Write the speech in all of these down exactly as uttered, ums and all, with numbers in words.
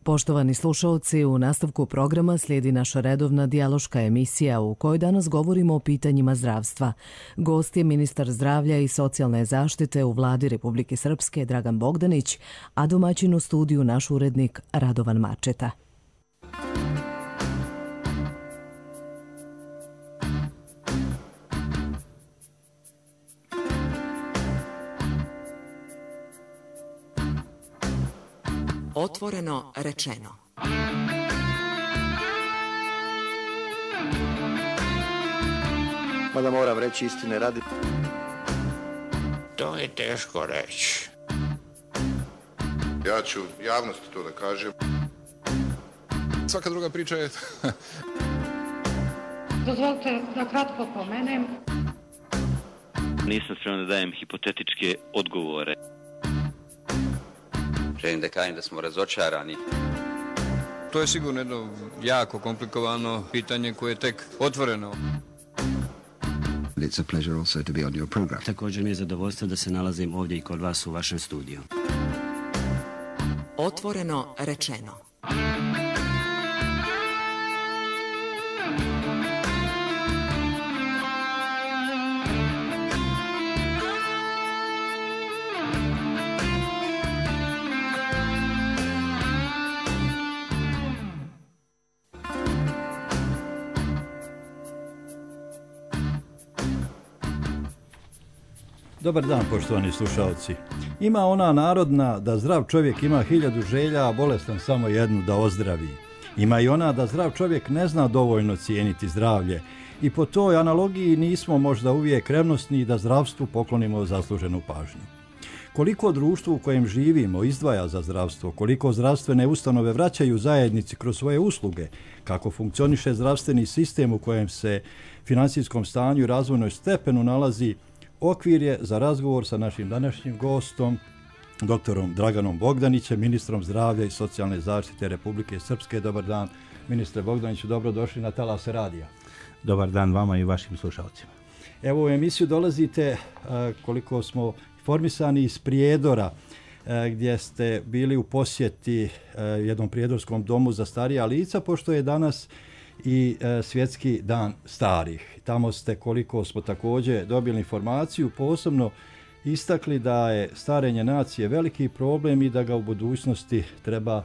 Poštovani slušaoci, u nastavku programa slijedi naša redovna dijaloška emisija u kojoj danas govorimo o pitanjima zdravstva. Gost je ministar zdravlja i socijalne zaštite u Vladi Republike Srpske Dragan Bogdanić, a domaćin u studiju naš urednik Radovan Mačeta. Otvoreno rečeno. Mada moram reći istine radi. To je teško reći. Ja ću javnosti to da kažem. Svaka druga priča je... Dozvolite da kratko pomenem. Nisam spreman da dajem hipotetičke odgovore. Želim da kažem da smo razočarani. To je sigurno jedno jako komplikovano pitanje koje je tek otvoreno. It's a pleasure also to be on your program. Također mi je zadovoljstvo da se nalazim ovdje i kod vas u vašem studiju. Otvoreno rečeno. Dobar dan, poštovani slušalci. Ima ona narodna da zdrav čovjek ima hiljadu želja, a bolestan samo jednu da ozdravi. Ima i ona da zdrav čovjek ne zna dovoljno cijeniti zdravlje. I po toj analogiji nismo možda uvijek revnosni da zdravstvu poklonimo zasluženu pažnju. Koliko društvo u kojem živimo izdvaja za zdravstvo, koliko zdravstvene ustanove vraćaju zajednici kroz svoje usluge, kako funkcioniše zdravstveni sistem u kojem se financijskom stanju i razvojnoj stepenu nalazi, okvir je za razgovor sa našim današnjim gostom, doktorom Draganom Bogdanićem, ministrom zdravlja i socijalne zaštite Republike Srpske. Dobar dan, ministre Bogdaniću, dobrodošli na Talase radija. Dobar dan vama i vašim slušalcima. Evo u emisiju dolazite, koliko smo informisani, iz Prijedora, gdje ste bili u posjeti jednom prijedorskom domu za starija lica, pošto je danas i e, svjetski dan starih. Tamo ste, koliko smo također dobili informaciju, posebno istakli da je starenje nacije veliki problem i da ga u budućnosti treba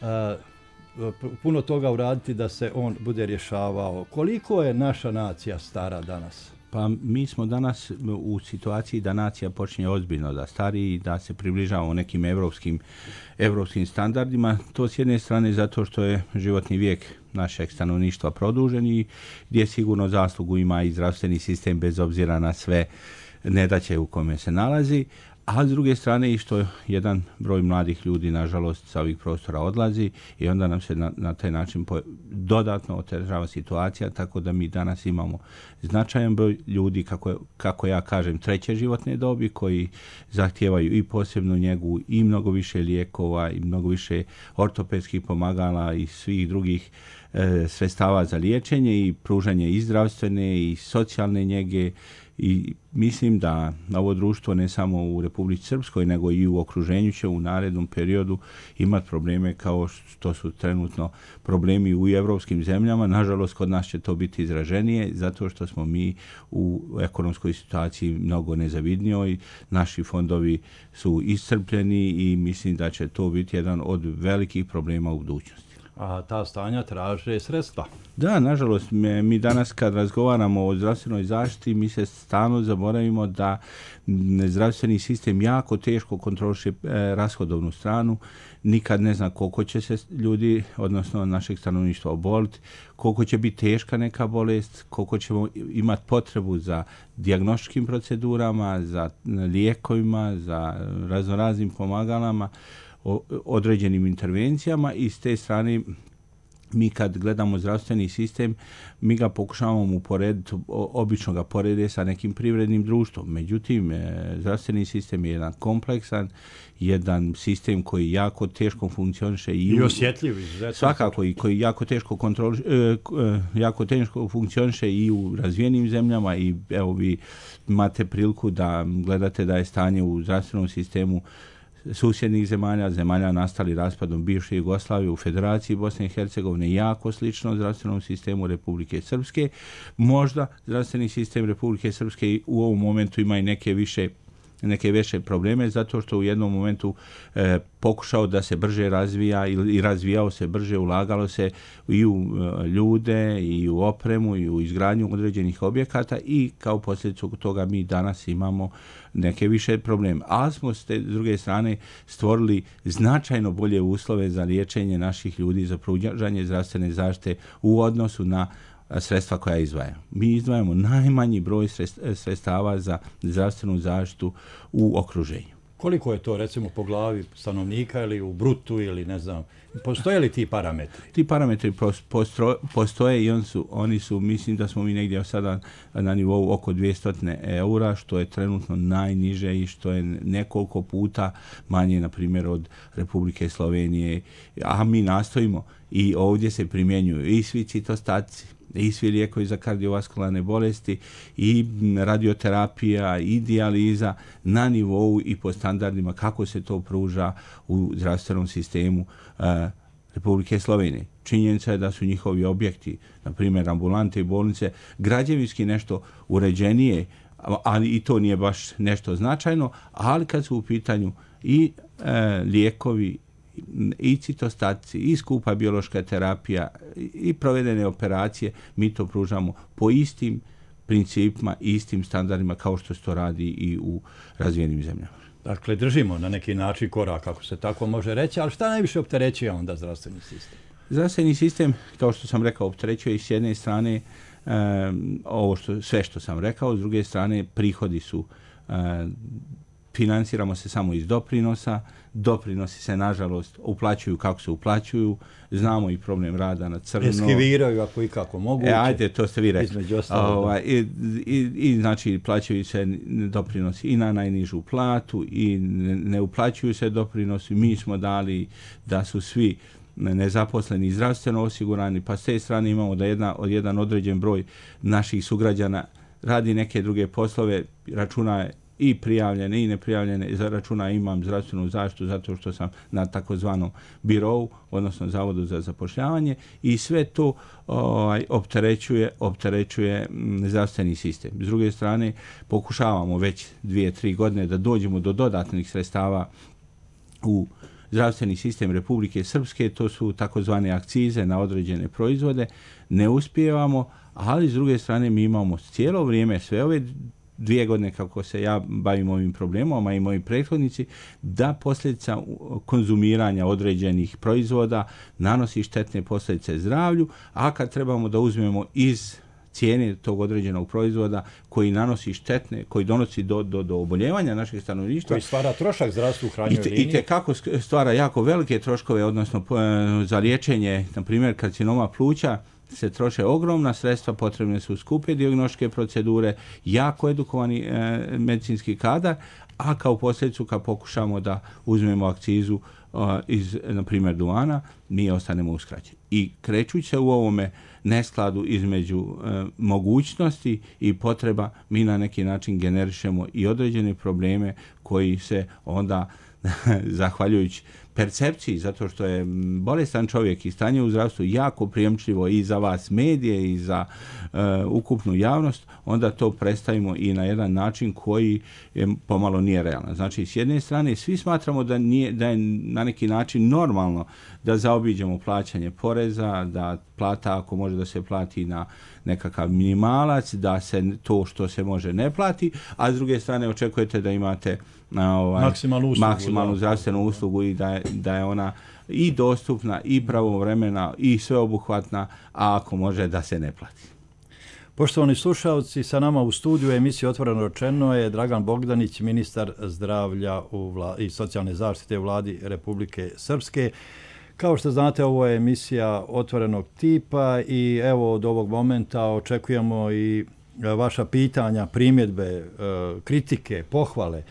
e, puno toga uraditi da se on bude rješavao. Koliko je naša nacija stara danas? Pa mi smo danas u situaciji da nacija počinje ozbiljno da stari i da se približavamo nekim evropskim, evropskim standardima. To s jedne strane zato što je životni vijek našeg stanovništva produžen i gdje sigurno zaslugu ima i zdravstveni sistem bez obzira na sve nedaće u kome se nalazi. A s druge strane i što jedan broj mladih ljudi nažalost sa ovih prostora odlazi i onda nam se na, na taj način po, dodatno otežava situacija, tako da mi danas imamo značajan broj ljudi, kako, kako ja kažem, treće životne dobi koji zahtijevaju i posebnu njegu i mnogo više lijekova i mnogo više ortopedskih pomagala i svih drugih e, sredstava za liječenje i pružanje i zdravstvene i socijalne njege. I mislim da ovo društvo ne samo u Republici Srpskoj nego i u okruženju će u narednom periodu imati probleme kao što su trenutno problemi u evropskim zemljama. Nažalost, kod nas će to biti izraženije zato što smo mi u ekonomskoj situaciji mnogo nezavidnijoj. Naši fondovi su iscrpljeni i mislim da će to biti jedan od velikih problema u budućnosti. A ta stanja traže sredstva. Da, nažalost, mi danas kad razgovaramo o zdravstvenoj zaštiti, mi se stalno zaboravimo da zdravstveni sistem jako teško kontroliše rashodovnu stranu. Nikad ne zna koliko će se ljudi, odnosno našeg stanovništva, oboliti, koliko će biti teška neka bolest, koliko ćemo imati potrebu za dijagnostičkim procedurama, za lijekovima, za raznoraznim pomagalama, određenim intervencijama i s te strane mi kad gledamo zdravstveni sistem, mi ga pokušavamo uporediti, obično ga porede sa nekim privrednim društvom. Međutim, zdravstveni sistem je jedan kompleksan, jedan sistem koji jako teško funkcioniše i, I osjetljiv. Svakako i koji jako teško kontroli, jako teško funkcioniše i u razvijenim zemljama i evo vi imate priliku da gledate da je stanje u zdravstvenom sistemu susjednih zemalja, zemalja nastali raspadom bivše Jugoslavije u Federaciji Bosne i Hercegovine jako slično zdravstvenom sistemu Republike Srpske. Možda zdravstveni sistem Republike Srpske u ovom momentu ima i neke više neke veće probleme zato što u jednom momentu e, pokušao da se brže razvija i, i razvijao se brže, ulagalo se i u e, ljude i u opremu i u izgradnju određenih objekata i kao posljedicu toga mi danas imamo neke više probleme. Ali smo s te druge strane stvorili značajno bolje uslove za liječenje naših ljudi, za pružanje zdravstvene zaštite u odnosu na sredstva koja izdvajamo. Mi izdvajamo najmanji broj sredstava za zdravstvenu zaštitu u okruženju. Koliko je to recimo po glavi stanovnika ili u brutu ili ne znam, postoje li ti parametri? Ti parametri postro, postoje i on su, oni su, mislim da smo mi negdje sada na nivou oko dvjesto eura, što je trenutno najniže i što je nekoliko puta manje, na primjer, od Republike Slovenije. A mi nastojimo i ovdje se primjenjuju i svi citostaci, i svi lijekovi za kardiovaskularne bolesti, i radioterapija, i dijaliza na nivou i po standardima kako se to pruža u zdravstvenom sistemu uh, Republike Slovenije. Činjenica je da su njihovi objekti, na primjer ambulante i bolnice, građevinski nešto uređenije, ali i to nije baš nešto značajno, ali kad su u pitanju i uh, lijekovi, i citostaci, i skupa biološka terapija, i provedene operacije, mi to pružamo po istim principima i istim standardima kao što se to radi i u razvijenim zemljama. Dakle, držimo na neki način korak, ako se tako može reći, ali šta najviše opterećuje onda zdravstveni sistem? Zdravstveni sistem, kao što sam rekao, opterećuje i s jedne strane um, ovo što, sve što sam rekao, s druge strane prihodi su um, financiramo se samo iz doprinosa, doprinosi se nažalost uplaćuju kako se uplaćuju, znamo i problem rada na crno. Eskiviraju ako i kako mogu. E, ajde, to ste vi rekli. Ostalo, I, i, I znači plaćaju se doprinosi i na najnižu platu i ne, ne uplaćuju se doprinosi. Mi smo dali da su svi nezaposleni zdravstveno osigurani, pa s te strane imamo da jedna, jedan određen broj naših sugrađana radi neke druge poslove, računa i prijavljene i neprijavljene, za računa imam zdravstvenu zaštitu zato što sam na takozvanom birovu, odnosno Zavodu za zapošljavanje, i sve to ovaj, opterećuje, opterećuje zdravstveni sistem. S druge strane, pokušavamo već dvije, tri godine da dođemo do dodatnih sredstava u zdravstveni sistem Republike Srpske, to su takozvane akcize na određene proizvode, ne uspijevamo, ali s druge strane mi imamo cijelo vrijeme, sve ove dvije godine kako se ja bavim ovim problemom, a i moji prethodnici, da posljedica konzumiranja određenih proizvoda nanosi štetne posljedice zdravlju, a kad trebamo da uzmemo iz cijene tog određenog proizvoda koji nanosi štetne, koji donosi do, do, do oboljevanja našeg stanovništva, koji stvara trošak zdravstvu u krajnjoj liniji. I te kako stvara jako velike troškove, odnosno za liječenje, na primjer, karcinoma pluća, se troše ogromna sredstva, potrebne su skupe dijagnostičke procedure, jako edukovani e, medicinski kadar, a kao posljedicu kad pokušamo da uzmemo akcizu e, iz, na primjer, duvana, mi ostanemo uskraćeni. I krećući se u ovome neskladu između e, mogućnosti i potreba, mi na neki način generišemo i određene probleme koji se onda, zahvaljujući percepciji, zato što je bolestan čovjek i stanje u zdravstvu jako prijemčljivo i za vas medije i za uh, ukupnu javnost, onda to predstavimo i na jedan način koji je pomalo nije realan. Znači, s jedne strane, svi smatramo da, nije, da je na neki način normalno da zaobiđemo plaćanje poreza, da plata ako može da se plati na nekakav minimalac, da se to što se može ne plati, a s druge strane očekujete da imate na ovaj, maksimalnu, uslugu, maksimalnu zdravstvenu uslugu i da je, da je ona i dostupna i pravovremena i sveobuhvatna, a ako može da se ne plati. Poštovani slušalci, sa nama u studiju emisije Otvoreno rečeno je Dragan Bogdanić, ministar zdravlja u vla, i socijalne zaštite u vladi Republike Srpske. Kao što znate, ovo je emisija otvorenog tipa i evo od ovog momenta očekujemo i vaša pitanja, primjedbe, kritike, pohvale,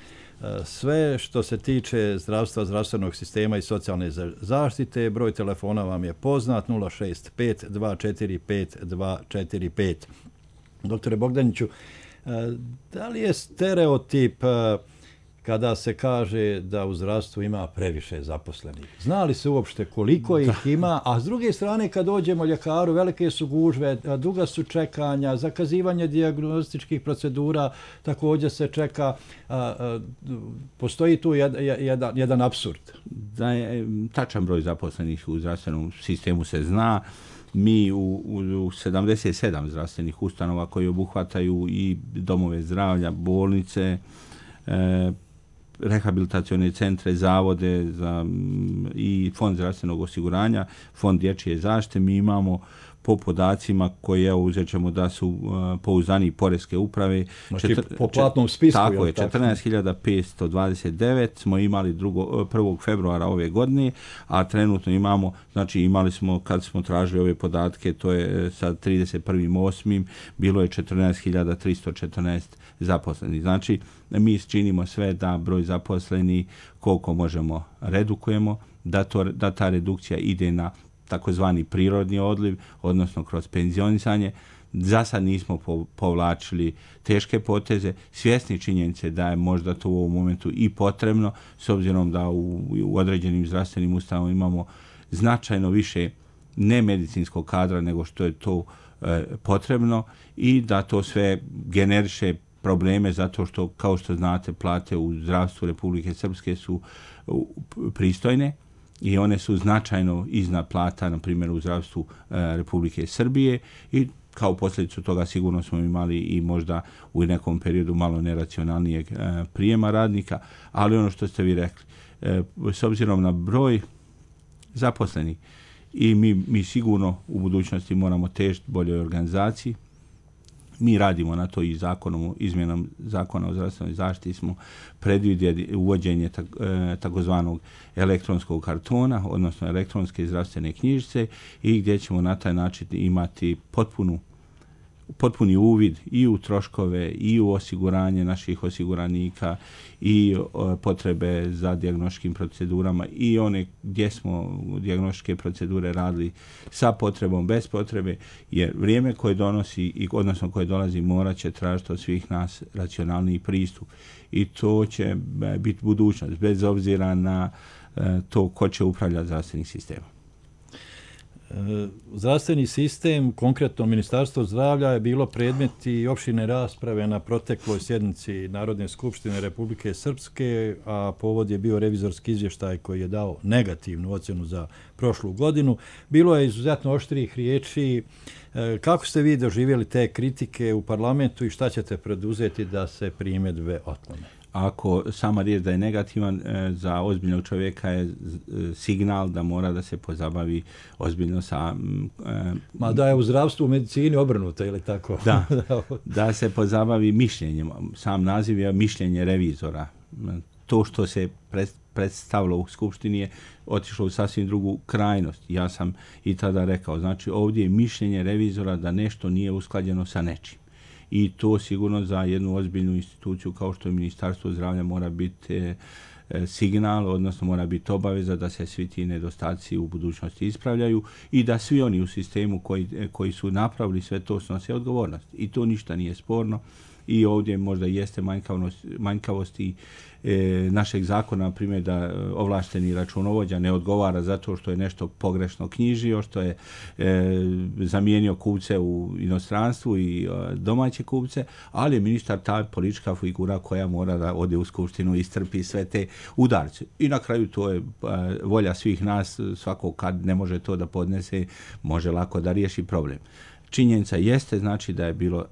sve što se tiče zdravstva, zdravstvenog sistema i socijalne zaštite. Broj telefona vam je poznat, nula šest pet dva četiri pet dva četiri pet. Doktore Bogdaniću, da li je stereotip kada se kaže da u zdravstvu ima previše zaposlenih. Zna li se uopšte koliko ih ima, a s druge strane kad dođemo ljekaru, velike su gužve, duga su čekanja, zakazivanje dijagnostičkih procedura, također se čeka, a, a, postoji tu jed, jedan, jedan apsurd. Da je tačan broj zaposlenih u zdravstvenom sistemu se zna. Mi u, u, u sedamdeset sedam zdravstvenih ustanova koji obuhvataju i domove zdravlja, bolnice, e, rehabilitacione centre, zavode za, i fond zdravstvenog osiguranja, fond dječje zaštite, mi imamo po podacima koje evo uzet ćemo da su uh, pouzdani poreske uprave. Znači četr- po platnom spisku. Tako je, četrnaest hiljada petsto dvadeset devet smo imali drugo, prvog februara ove godine, a trenutno imamo, znači imali smo, kad smo tražili ove podatke, to je sa trideset prvog osmog bilo je četrnaest hiljada tristo četrnaest zaposlenih. Znači, mi činimo sve da broj zaposlenih koliko možemo redukujemo, da, to, da ta redukcija ide na takozvani prirodni odliv, odnosno kroz penzionisanje. Za sad nismo povlačili teške poteze, svjesni činjenice da je možda to u ovom momentu i potrebno, s obzirom da u, u određenim zdravstvenim ustanovama imamo značajno više nemedicinskog kadra nego što je to e, potrebno i da to sve generiše probleme zato što, kao što znate, plate u zdravstvu Republike Srpske su pristojne i one su značajno iznad plata, na primjer, u zdravstvu e, Republike Srbije i kao posljedicu toga sigurno smo imali i možda u nekom periodu malo neracionalnijeg e, prijema radnika, ali ono što ste vi rekli, e, s obzirom na broj zaposlenih i mi, mi sigurno u budućnosti moramo težiti boljoj organizaciji. Mi radimo na to i zakonom, izmjenom zakona o zdravstvenoj zaštiti smo predvidjeli uvođenje tak, e, takozvanog elektronskog kartona, odnosno elektronske zdravstvene knjižice i gdje ćemo na taj način imati potpunu potpuni uvid i u troškove i u osiguranje naših osiguranika i o, potrebe za dijagnostičkim procedurama i one gdje smo dijagnostičke procedure radili sa potrebom, bez potrebe, jer vrijeme koje donosi i odnosno koje dolazi morat će tražiti od svih nas racionalniji pristup i to će biti budućnost bez obzira na e, to ko će upravljati zdravstvenim sistemom. Zdravstveni sistem, konkretno Ministarstvo zdravlja, je bilo predmet i opširne rasprave na protekloj sjednici Narodne skupštine Republike Srpske, a povod je bio revizorski izvještaj koji je dao negativnu ocjenu za prošlu godinu. Bilo je izuzetno oštrih riječi. Kako ste vi doživjeli te kritike u parlamentu i šta ćete preduzeti da se primjedbe otklone? Ako sama riječ da je negativan, e, za ozbiljnog čovjeka je e, signal da mora da se pozabavi ozbiljno sa... E, Ma da je u zdravstvu u medicini obrnuto, ili tako? Da, da se pozabavi mišljenjem. Sam naziv je mišljenje revizora. To što se predstavilo u Skupštini je otišlo u sasvim drugu krajnost. Ja sam i tada rekao, znači ovdje je mišljenje revizora da nešto nije usklađeno sa nečim. I to sigurno za jednu ozbiljnu instituciju kao što je Ministarstvo zdravlja mora biti e, signal, odnosno mora biti obaveza da se svi ti nedostaci u budućnosti ispravljaju i da svi oni u sistemu koji, koji su napravili sve to snose odgovornost. I to ništa nije sporno. I ovdje možda jeste manjkavost, manjkavosti e, našeg zakona, na primjer da ovlašteni računovođa ne odgovara zato što je nešto pogrešno knjižio, što je e, zamijenio kupce u inostranstvu i e, domaće kupce, ali je ministar ta politička figura koja mora da ode u skupštinu i istrpi sve te udarce. I na kraju to je e, volja svih nas, svako kad ne može to da podnese, može lako da riješi problem. Činjenica jeste, znači da je bilo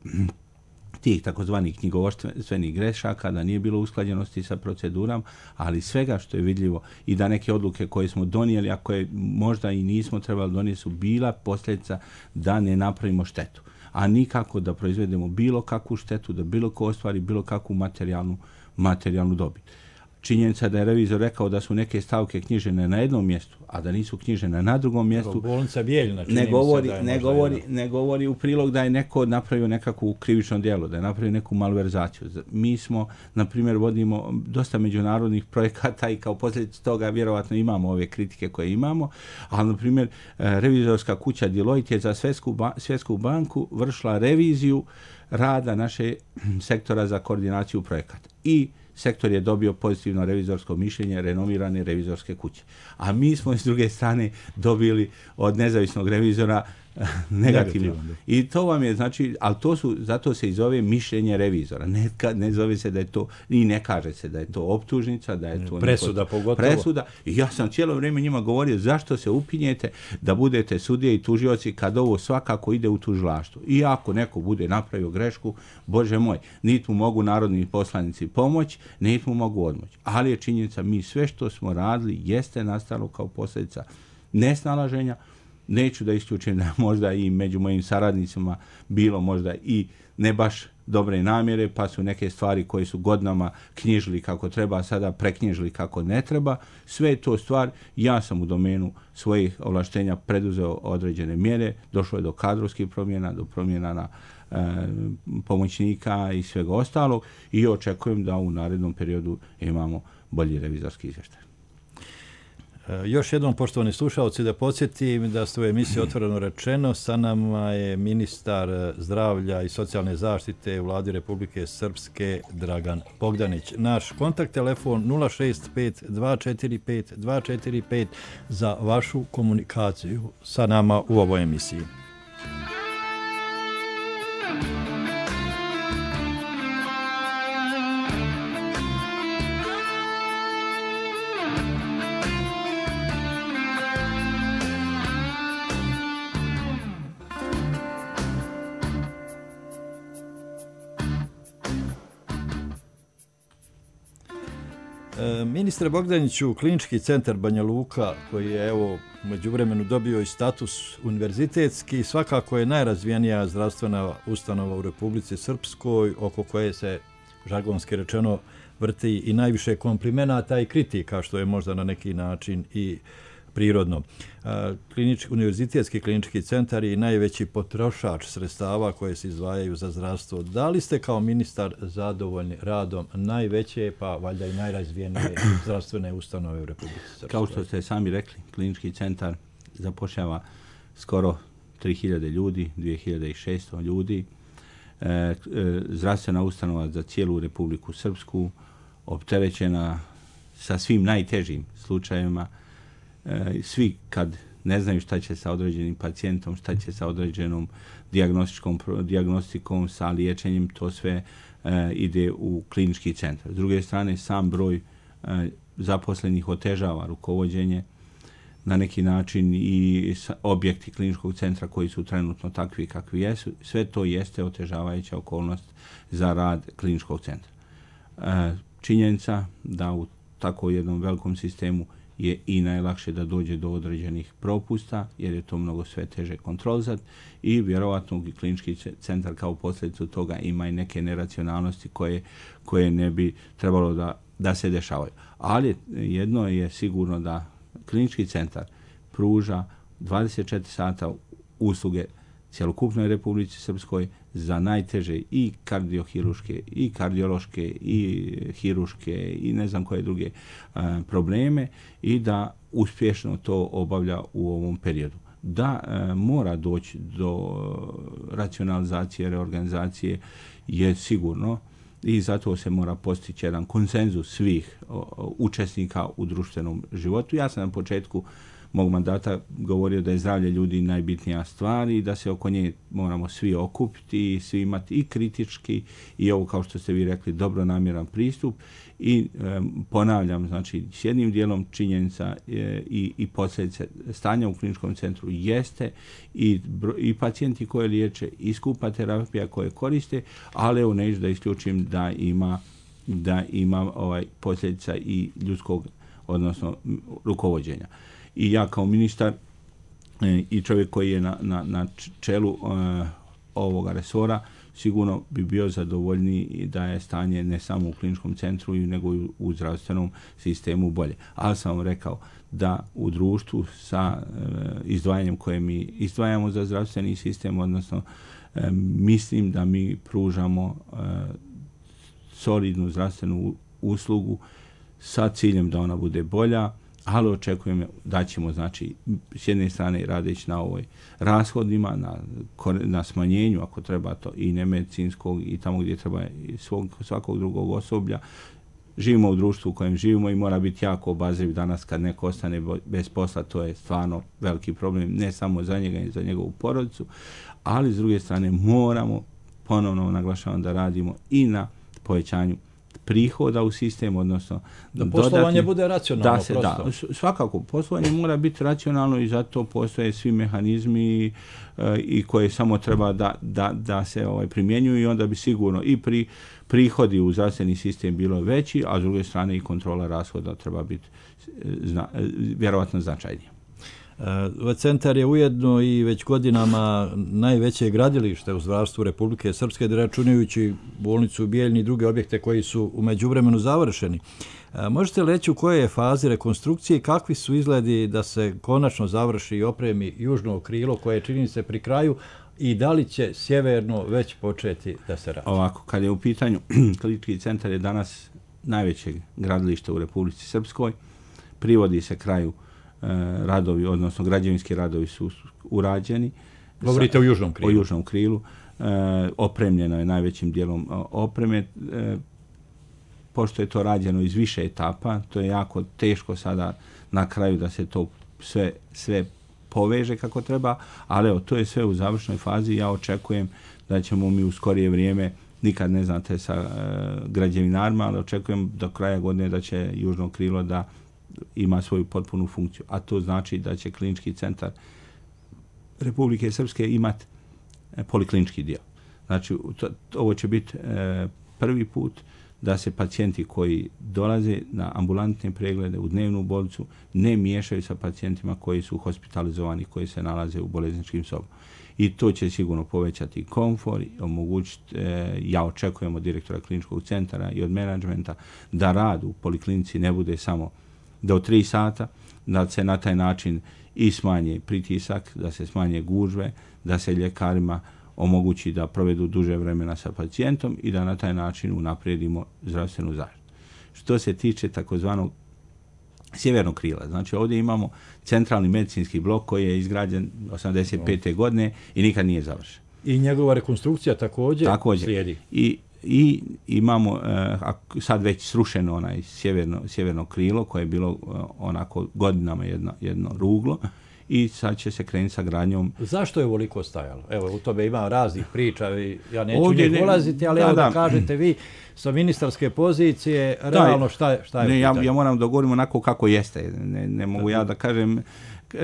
tih takozvanih knjigovodstvenih grešaka, da nije bilo usklađenosti sa proceduram, ali svega što je vidljivo i da neke odluke koje smo donijeli, a koje možda i nismo trebali donijeti, su bila posljedica da ne napravimo štetu. A nikako da proizvedemo bilo kakvu štetu, da bilo ko ostvari bilo kakvu materijalnu, materijalnu dobit. Činjenica da je revizor rekao da su neke stavke knjižene na jednom mjestu, a da nisu knjižena na drugom mjestu, bolnica Bijeljina, ne govori, ne, govori, ne govori u prilog da je neko napravio nekakvu krivično djelo, da je napravio neku malverzaciju. Mi smo, na primjer, vodimo dosta međunarodnih projekata i kao posljedica toga vjerovatno imamo ove kritike koje imamo, ali, na primjer, revizorska kuća Deloitte je za Svjetsku, ba, Svjetsku banku vršila reviziju rada naše sektora za koordinaciju projekata. I sektor je dobio pozitivno revizorsko mišljenje renomirane revizorske kuće. A mi smo s druge strane dobili od nezavisnog revizora negativno. I to vam je, znači, ali to su, zato se i zove mišljenje revizora. Ne, ne zove se da je to, i ne kaže se da je to optužnica, da je to presuda neko, pogotovo. Presuda. I ja sam cijelo vrijeme njima govorio zašto se upinjete da budete sudije i tužioci kad ovo svakako ide u tužilaštvo. I ako neko bude napravio grešku, Bože moj, niti mu mogu narodni poslanici pomoć, niti mu mogu odmoć. Ali je činjenica, mi sve što smo radili jeste nastalo kao posljedica nesnalaženja. Neću da isključim da možda i među mojim saradnicima bilo možda i ne baš dobre namjere, pa su neke stvari koje su godinama knjižili kako treba, sada preknjižili kako ne treba. Sve je to stvar, ja sam u domenu svojih ovlaštenja preduzeo određene mjere, došlo je do kadrovskih promjena, do promjena na e, pomoćnika i svega ostalog i očekujem da u narednom periodu imamo bolji revizorski izvještaj. Još jednom, poštovani slušalci, da podsjetim da ste u emisiji Otvoreno rečeno. Sa nama je ministar zdravlja i socijalne zaštite u Vladi Republike Srpske Dragan Bogdanić. Naš kontakt telefon nula šest pet dva četiri pet dva četiri pet za vašu komunikaciju sa nama u ovoj emisiji. Ministre Bogdaniću, Klinički centar Banja Luka, koji je evo međuvremenu dobio i status univerzitetski, svakako je najrazvijenija zdravstvena ustanova u Republici Srpskoj, oko koje se, žargonski rečeno, vrti i najviše komplimenata i kritika, što je možda na neki način i prirodno. Klinički, univerzitetski klinički centar je najveći potrošač sredstava koje se izdvajaju za zdravstvo. Da li ste kao ministar zadovoljni radom najveće, pa valjda i najrazvijenije zdravstvene ustanove u Republici Srpskoj? Kao što ste sami rekli, klinički centar zapošljava skoro tri hiljade ljudi, dvije hiljade šesto ljudi. E, e, zdravstvena ustanova za cijelu Republiku Srpsku, opterećena sa svim najtežim slučajevima. Svi kad ne znaju šta će sa određenim pacijentom, šta će sa određenom dijagnostičkom dijagnostikom, sa liječenjem, to sve e, ide u klinički centar. S druge strane, sam broj e, zaposlenih otežava rukovođenje na neki način i objekti kliničkog centra koji su trenutno takvi kakvi jesu. Sve to jeste otežavajuća okolnost za rad kliničkog centra. E, činjenica da u tako jednom velikom sistemu je i najlakše da dođe do određenih propusta, jer je to mnogo sve teže kontrolizati i vjerovatno klinički centar kao posljedicu toga ima i neke neracionalnosti koje, koje ne bi trebalo da, da se dešavaju. Ali jedno je sigurno da klinički centar pruža dvadeset četiri sata usluge cjelokupnoj Republici Srpskoj za najteže i kardiohiruške, i kardiološke, i hiruške, i ne znam koje druge a, probleme i da uspješno to obavlja u ovom periodu. Da a, mora doći do racionalizacije, reorganizacije je sigurno i zato se mora postići jedan konsenzus svih o, o, učesnika u društvenom životu. Ja sam na početku mog mandata govorio da je zdravlje ljudi najbitnija stvar i da se oko nje moramo svi okupiti i svi imati i kritički i ovo, kao što ste vi rekli, dobronamjeran pristup i e, ponavljam, znači s jednim dijelom činjenica e, i, i posljedice stanja u kliničkom centru jeste i, i pacijenti koje liječe i skupa terapija koje koriste, ali evo neću da isključim da ima, da ima ovaj posljedica i ljudskog, odnosno rukovođenja. I ja kao ministar e, i čovjek koji je na, na, na čelu e, ovoga resora sigurno bi bio zadovoljniji i da je stanje ne samo u kliničkom centru, nego i u zdravstvenom sistemu bolje. Ali sam vam rekao da u društvu sa e, izdvajanjem koje mi izdvajamo za zdravstveni sistem, odnosno e, mislim da mi pružamo e, solidnu zdravstvenu uslugu sa ciljem da ona bude bolja, ali očekujem da ćemo, znači, s jedne strane radeći na ovoj rashodima, na, na smanjenju, ako treba to, i nemedicinskog i tamo gdje treba svog, svakog drugog osoblja. Živimo u društvu u kojem živimo i mora biti jako obazriv danas kad neko ostane bez posla, to je stvarno veliki problem, ne samo za njega i za njegovu porodicu, ali s druge strane moramo, ponovno naglašavam, da radimo i na povećanju prihoda u sistem, odnosno da poslovanje dodatni, bude racionalno. Da se, da, svakako, poslovanje mora biti racionalno i zato postoje svi mehanizmi e, i koje samo treba da, da, da se ovaj, primjenjuju i onda bi sigurno i pri, prihodi u zdravstveni sistem bilo veći, a s druge strane i kontrola rashoda treba biti zna, vjerovatno značajnija. Ovaj centar je ujedno i već godinama najveće gradilište u zdravstvu Republike Srpske, računajući bolnicu u Bijeljni i druge objekte koji su u međuvremenu završeni. Možete li reći u kojoj je fazi rekonstrukcije i kakvi su izgledi da se konačno završi i opremi južno krilo koje čini se pri kraju i da li će sjeverno već početi da se radi? Ovako, kad je u pitanju klinički centar je danas najveće gradilište u Republici Srpskoj, privodi se kraju radovi, odnosno građevinski radovi su urađeni. Govorite o južnom krilu. O južnom krilu. E, opremljeno je najvećim dijelom opreme. E, pošto je to rađeno iz više etapa, to je jako teško sada na kraju da se to sve, sve poveže kako treba, ali evo, to je sve u završnoj fazi. Ja očekujem da ćemo mi u skorije vrijeme, nikad ne znate sa e, građevinarima, ali očekujem do kraja godine da će južno krilo da ima svoju potpunu funkciju. A to znači da će klinički centar Republike Srpske imati poliklinički dio. Znači, to, ovo će biti e, prvi put da se pacijenti koji dolaze na ambulantne preglede u dnevnu bolnicu ne miješaju sa pacijentima koji su hospitalizovani, koji se nalaze u bolesničkim sobama. I to će sigurno povećati komfor i omogućiti, e, ja očekujem od direktora kliničkog centra i od menadžmenta da rad u poliklinici ne bude samo do tri sata, da se na taj način i smanje pritisak, da se smanje gužve, da se ljekarima omogući da provedu duže vremena sa pacijentom i da na taj način unaprijedimo zdravstvenu zaštitu. Što se tiče takozvanog sjevernog krila, znači ovdje imamo centralni medicinski blok koji je izgrađen osamdeset pete godine i nikad nije završen. I njegova rekonstrukcija također, također. slijedi. I I imamo uh, sad već srušeno onaj sjeverno, sjeverno krilo koje je bilo uh, onako godinama jedno, jedno ruglo i sad će se krenuti sa gradnjom. Zašto je ovoliko stajalo? Evo, u tome ima raznih priča, ja neću ovdje njih ulaziti, ali da, evo da, da kažete vi sa ministarske pozicije, realno šta, šta je ne, ja, ja moram da govorim onako kako jeste, ne, ne mogu ja da kažem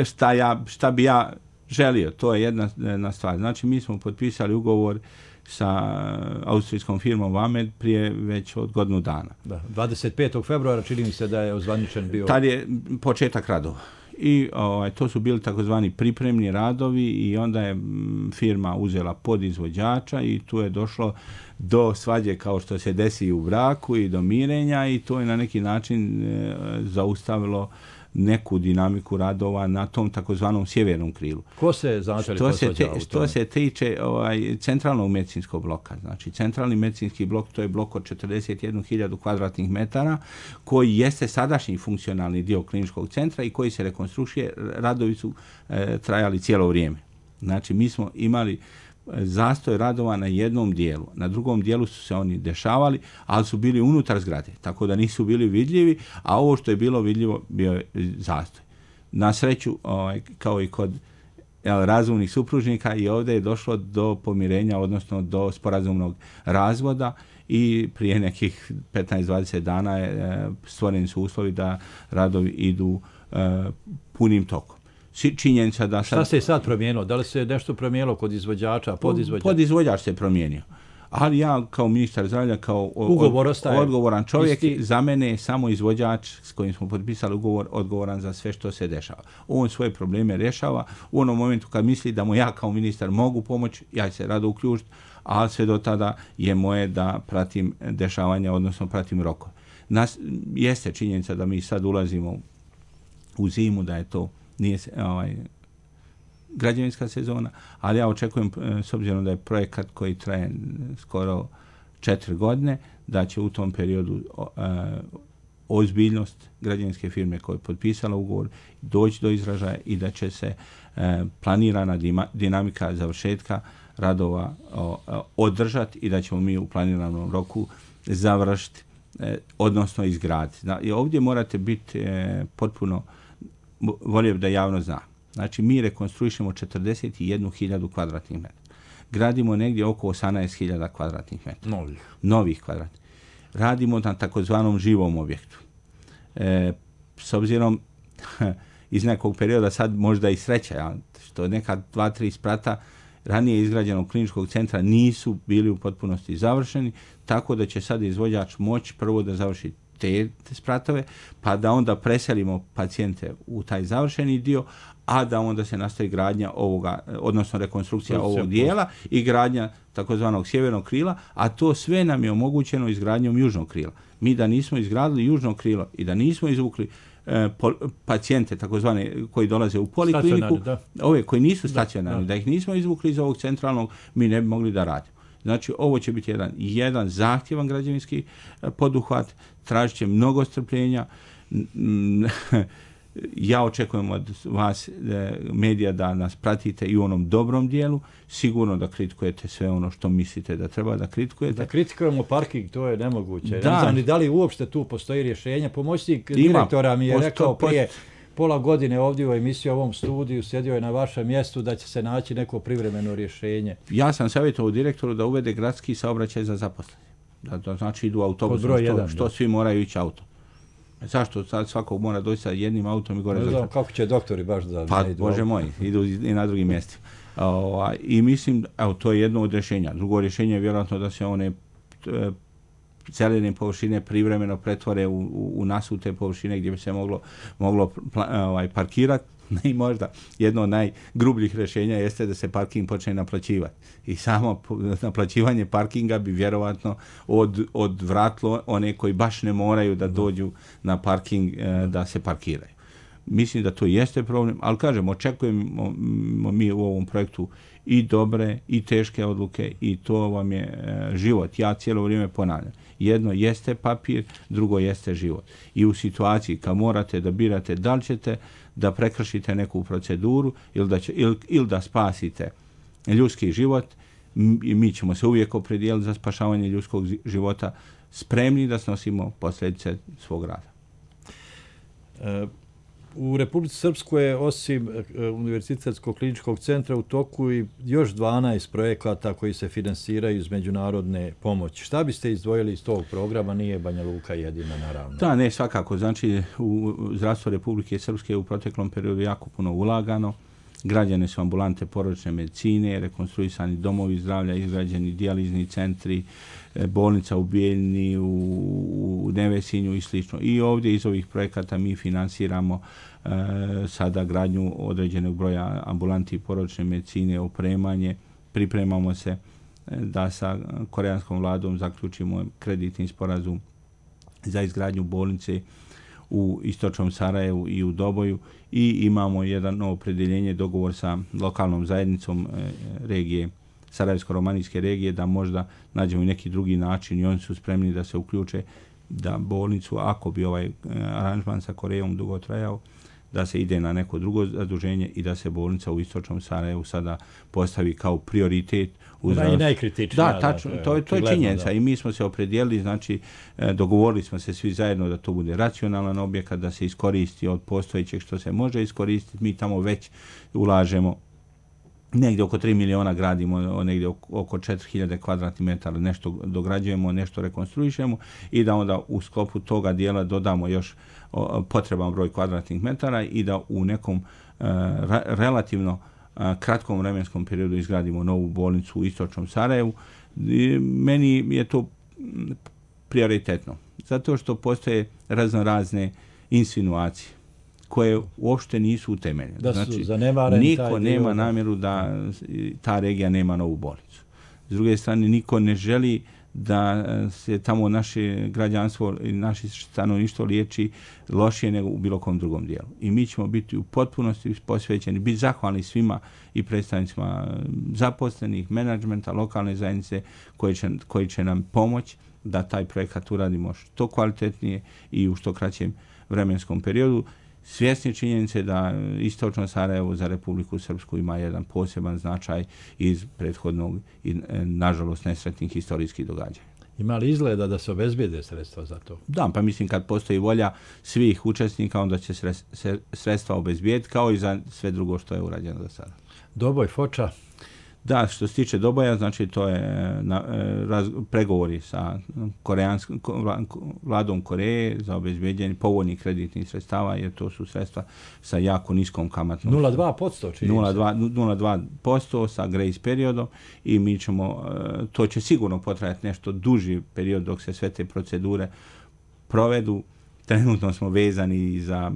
šta, ja, šta bi ja želio, to je jedna, jedna stvar. Znači, mi smo potpisali ugovor sa austrijskom firmom Vamed prije već od godinu dana. Da, dvadeset petog februara čini mi se da je ozvaničen bio. Tad je početak radova. I ovaj, to su bili takozvani pripremni radovi i onda je firma uzela podizvođača i tu je došlo do svađe kao što se desi u braku i do mirenja i to je na neki način e, zaustavilo neku dinamiku radova na tom takozvanom sjevernom krilu. Ko se znači što se te, što se tiče ovaj centralnog medicinskog bloka, znači centralni medicinski blok, to je blok od četrdeset jednu hiljadu kvadratnih metara koji jeste sadašnji funkcionalni dio kliničkog centra i koji se rekonstrukcije, radovi su e, trajali cijelo vrijeme. Znači mi smo imali zastoj radova na jednom dijelu. Na drugom dijelu su se oni dešavali, ali su bili unutar zgrade, tako da nisu bili vidljivi, a ovo što je bilo vidljivo bio je zastoj. Na sreću, ovaj, kao i kod jel, razumnih supružnika, i ovdje je došlo do pomirenja, odnosno do sporazumnog razvoda i prije nekih petnaest do dvadeset dana je, stvoreni su uslovi da radovi idu e, punim tokom. Činjenica da sad... Šta se je sad promijenilo? Da li se nešto promijenilo kod izvođača, podizvođača? Podizvođač se promijenio. Ali ja kao ministar zdravlja, kao od, odgovoran čovjek, isti. Za mene je samo izvođač s kojim smo potpisali ugovor odgovoran za sve što se dešava. On svoje probleme rješava. U onom momentu kad misli da mu ja kao ministar mogu pomoći, ja se rado uključiti, ali sve do tada je moje da pratim dešavanja, odnosno pratim rokove. Nas, jeste činjenica da mi sad ulazimo u zimu, da je to nije ovaj, građevinska sezona, ali ja očekujem, s obzirom da je projekat koji traje skoro četiri godine, da će u tom periodu e, ozbiljnost građevinske firme koja je potpisala ugovor doći do izražaja i da će se e, planirana dima, dinamika završetka radova o, o, održati i da ćemo mi u planiranom roku završiti, e, odnosno izgraditi. I ovdje morate biti e, potpuno, volio da javno zna. Znači, mi rekonstruišemo četrdeset jednu hiljadu kvadratnih metara. Gradimo negdje oko osamnaest hiljada kvadratnih metara. Novih. Novih kvadratnih. Radimo na takozvanom živom objektu. E, s obzirom iz nekog perioda sad možda i sreća, ja, što neka dva, tri sprata ranije izgrađenog kliničkog centra nisu bili u potpunosti završeni, tako da će sad izvođač moći prvo da završi te, te spratove, pa da onda preselimo pacijente u taj završeni dio, a da onda se nastavi gradnja ovoga, odnosno rekonstrukcija ovog dijela i gradnja takozvanog sjevernog krila, a to sve nam je omogućeno izgradnjom južnog krila. Mi da nismo izgradili južno krilo i da nismo izvukli e, po, pacijente takozvane koji dolaze u polikliniku, ove koji nisu stacionarni, da. da ih nismo izvukli iz ovog centralnog, mi ne bi mogli da radimo. Znači, ovo će biti jedan, jedan zahtjevan građevinski poduhvat, tražit će mnogo strpljenja. Ja očekujem od vas, medija, da nas pratite i u onom dobrom dijelu. Sigurno da kritikujete sve ono što mislite da treba da kritikujete. Da kritikujemo parking, to je nemoguće. Da. Ne znam ni da li uopšte tu postoji rješenje. Pomoćnik direktora mi je posto, rekao prije posto, pola godine ovdje u emisiji, u ovom studiju, sjedio je na vašem mjestu da će se naći neko privremeno rješenje. Ja sam savjetovao direktoru da uvede gradski saobraćaj za zaposlene. Da, da znači idu autobusom, što, jedan, što svi moraju ići autom. Zašto sad svakog mora doći sa jednim autom i gore? Ne znam kako će doktori baš da pa, ne idu. Bože moj, idu i na drugim mjestima. O, I mislim, evo, to je jedno od rješenja. Drugo rješenje je vjerojatno da se one e, zelene površine privremeno pretvore u, u, u nasute površine gdje bi se moglo, moglo ovaj, parkirati. I možda jedno od najgrubljih rješenja jeste da se parking počne naplaćivati. I samo naplaćivanje parkinga bi vjerovatno od, odvratilo one koji baš ne moraju da dođu na parking eh, da se parkiraju. Mislim da to jeste problem, ali kažem, očekujemo mi u ovom projektu i dobre i teške odluke i to vam je eh, život. Ja cijelo vrijeme ponavljam. Jedno jeste papir, drugo jeste život. I u situaciji kad morate da birate da li ćete da prekršite neku proceduru ili da, će, ili, ili da spasite ljudski život, mi, mi ćemo se uvijek opredijeliti za spašavanje ljudskog života, spremni da snosimo posljedice svog rada. E, u Republici Srpskoj je osim Univerzitetskog kliničkog centra u toku i još dvanaest projekata koji se finansiraju iz međunarodne pomoći. Šta biste izdvojili iz tog programa? Nije Banja Luka jedina, naravno. Da, ne, svakako. Znači, u zdravstvo Republike Srpske u proteklom periodu jako puno ulagano. Građane su ambulante porodične medicine, rekonstruisani domovi zdravlja, izgrađeni dijalizni centri, bolnica u Bijeljni, u, u Nevesinju i slično. I ovdje iz ovih projekata mi finansiramo e, sada gradnju određenog broja ambulanti porodične medicine, opremanje. Pripremamo se da sa koreanskom vladom zaključimo kreditni sporazum za izgradnju bolnice u istočnom Sarajevu i u Doboju i imamo jedan novo opredjeljenje, dogovor sa lokalnom zajednicom e, regije, Sarajevsko-romanijske regije, da možda nađemo i neki drugi način i oni su spremni da se uključe da bolnicu, ako bi ovaj e, aranžman sa Korejom dugo trajao, da se ide na neko drugo zaduženje i da se bolnica u istočnom Sarajevu sada postavi kao prioritet. Ona je najkritičnija. Da, tačno, to je, to je činjenica da. I mi smo se opredijelili, znači dogovorili smo se svi zajedno da to bude racionalan objekat, da se iskoristi od postojećeg što se može iskoristiti. Mi tamo već ulažemo negdje oko tri miliona, gradimo negdje oko četiri hiljade kvadratnih metara, nešto dograđujemo, nešto rekonstruišemo i da onda u sklopu toga dijela dodamo još potreban broj kvadratnih metara i da u nekom uh, ra- relativno uh, kratkom vremenskom periodu izgradimo novu bolnicu u istočnom Sarajevu. I meni je to prioritetno, zato što postoje razno razne insinuacije koje uopšte nisu utemeljene. Da su znači, zanemaren niko taj nema dio. namjeru da ta regija nema novu bolnicu. S druge strane, niko ne želi da se tamo naše građanstvo i naše stanovništvo liječi lošije nego u bilo kom drugom dijelu. I mi ćemo biti u potpunosti posvećeni, biti zahvalni svima i predstavnicima zaposlenih, menadžmenta, lokalne zajednice koji će, koji će nam pomoći da taj projekat uradimo što kvalitetnije i u što kraćem vremenskom periodu. Svjesni činjenice da istočno Sarajevo za Republiku Srpsku ima jedan poseban značaj iz prethodnog i nažalost nesretnih historijskih događaja. Ima li izgleda da se obezbijede sredstva za to? Da, pa mislim kad postoji volja svih učesnika, onda će sredstva obezbijeti kao i za sve drugo što je urađeno do sada. Doboj, Foča? Da, što se tiče Doboja, znači to je na, raz, pregovori sa koreanskom vladom Koreje za obezbeđenje povoljnih kreditnih sredstava, jer to su sredstva sa jako niskom kamatnom. nula zarez dva posto čini nula zarez dva posto sa grace periodom i mi ćemo, to će sigurno potrajati nešto duži period dok se sve te procedure provedu. Trenutno smo vezani za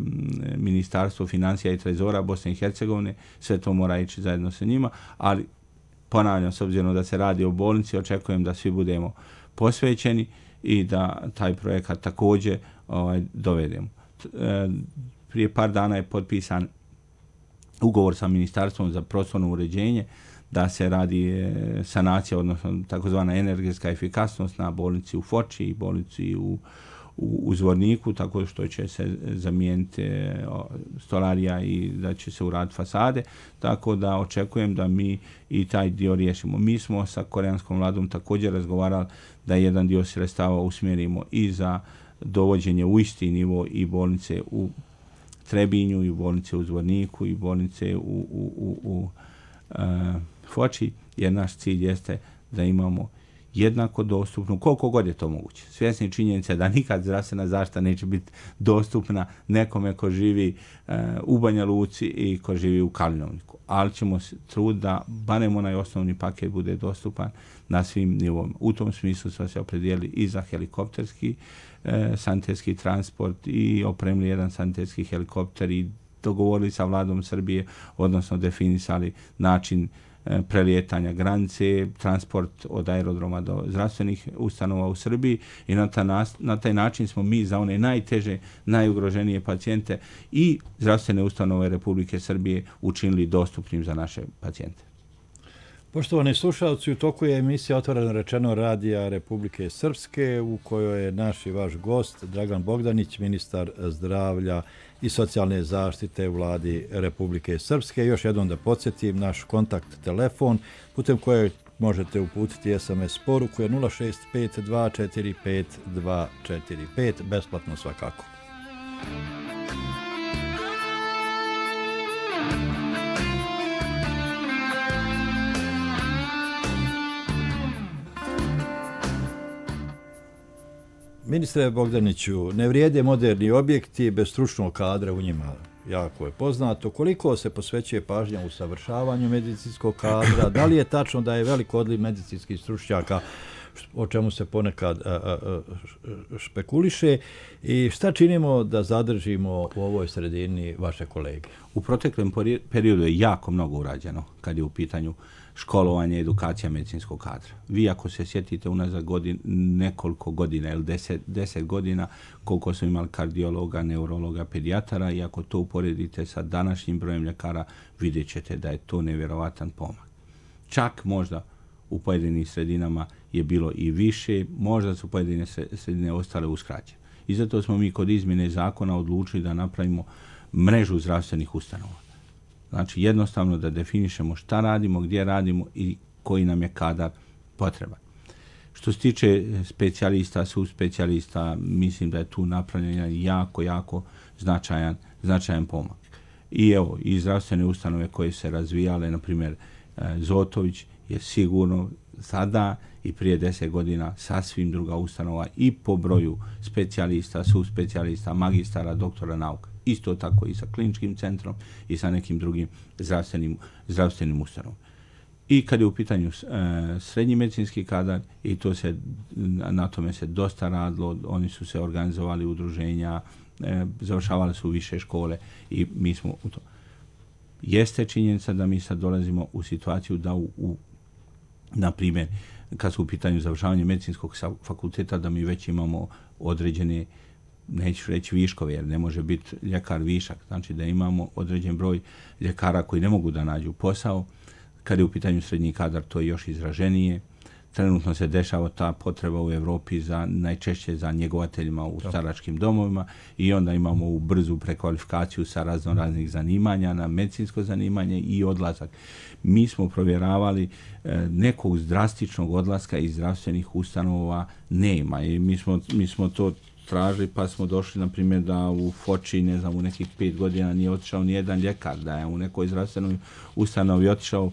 Ministarstvo financija i trezora Bosne i Hercegovine, sve to mora ići zajedno sa njima, ali ponavljam, s obzirom da se radi o bolnici, očekujem da svi budemo posvećeni i da taj projekat također ovaj, dovedemo. Prije par dana je potpisan ugovor sa Ministarstvom za prostorno uređenje da se radi sanacija, odnosno takozvana energetska efikasnost na bolnici u Foči i bolnici u u Zvorniku, tako što će se zamijeniti stolarija i da će se uraditi fasade, tako da očekujem da mi i taj dio riješimo. Mi smo sa koreanskom vladom također razgovarali da jedan dio sredstava usmjerimo i za dovođenje u isti nivo i bolnice u Trebinju, i bolnice u Zvorniku, i bolnice u, u, u, u uh, Foči, jer naš cilj jeste da imamo jednako dostupnu, koliko god je to moguće. Svjesni činjenice da nikad zdravstvena zaštita neće biti dostupna nekome ko živi uh, u Banja Luci i ko živi u Kalinovniku. Ali ćemo se trud da barem onaj osnovni paket bude dostupan na svim nivoima. U tom smislu smo se opredijelili i za helikopterski uh, sanitetski transport i opremili jedan sanitetski helikopter i dogovorili sa vladom Srbije, odnosno definisali način prelijetanja granice, transport od aerodroma do zdravstvenih ustanova u Srbiji i na, ta nas, na taj način smo mi za one najteže, najugroženije pacijente i zdravstvene ustanove Republike Srbije učinili dostupnim za naše pacijente. Poštovani slušalci, u toku je emisija Otvoreno rečeno radija Republike Srpske u kojoj je naš i vaš gost Dragan Bogdanić, ministar zdravlja i socijalne zaštite u vladi Republike Srpske. Još jednom da podsjetim, naš kontakt telefon putem kojeg možete uputiti es em es poruku je nula šest pet dva četiri pet dva četiri pet, besplatno svakako. Ministre Bogdaniću, ne vrijede moderni objekti bez stručnog kadra u njima. Jako je poznato. Koliko se posvećuje pažnja u savršavanju medicinskog kadra? Da li je tačno da je velik odliv medicinskih stručnjaka, o čemu se ponekad a, a, špekuliše? I šta činimo da zadržimo u ovoj sredini vaše kolege? U proteklom periodu je jako mnogo urađeno kad je u pitanju školovanje, edukacija medicinskog kadra. Vi ako se sjetite unazad godin, nekoliko godina ili deset, deset godina koliko smo imali kardiologa, neurologa, pedijatara i ako to uporedite sa današnjim brojem ljekara, vidjet ćete da je to nevjerovatan pomak. Čak možda u pojedinim sredinama je bilo i više, možda su pojedine sredine ostale uskraćene. I zato smo mi kod izmjene zakona odlučili da napravimo mrežu zdravstvenih ustanova. Znači jednostavno da definišemo šta radimo, gdje radimo i koji nam je kadar potreban. Što se tiče specijalista, subspecijalista, mislim da je tu napravljen jako, jako značajan, značajan pomak. I evo, i zdravstvene ustanove koje se razvijale, na primjer Zotović je sigurno sada i prije deset godina sasvim druga ustanova i po broju specijalista, subspecijalista, magistara, doktora nauka. Isto tako i sa kliničkim centrom i sa nekim drugim zdravstvenim, zdravstvenim ustanovom. I kad je u pitanju e, srednji medicinski kadar, i to se, na tome se dosta radilo, oni su se organizovali udruženja, e, završavali su više škole i mi smo u to. Jeste činjenica da mi sad dolazimo u situaciju da u, u na primjer, kad su u pitanju završavanja medicinskog fakulteta, da mi već imamo određene, neću reći viškove, jer ne može biti ljekar višak, znači da imamo određen broj ljekara koji ne mogu da nađu posao. Kad je u pitanju srednji kadar, to je još izraženije. Trenutno se dešava ta potreba u Europi za najčešće za njegovateljima u staračkim domovima i onda imamo u brzu prekvalifikaciju sa razno raznih zanimanja na medicinsko zanimanje i odlazak. Mi smo provjeravali e, nekog drastičnog odlaska iz zdravstvenih ustanova nema i mi smo, mi smo to tražili, pa smo došli, na primjer, da u Foči, ne znam, u nekih pet godina nije otišao ni jedan ljekar, da je u nekoj zdravstvenoj ustanovi otišao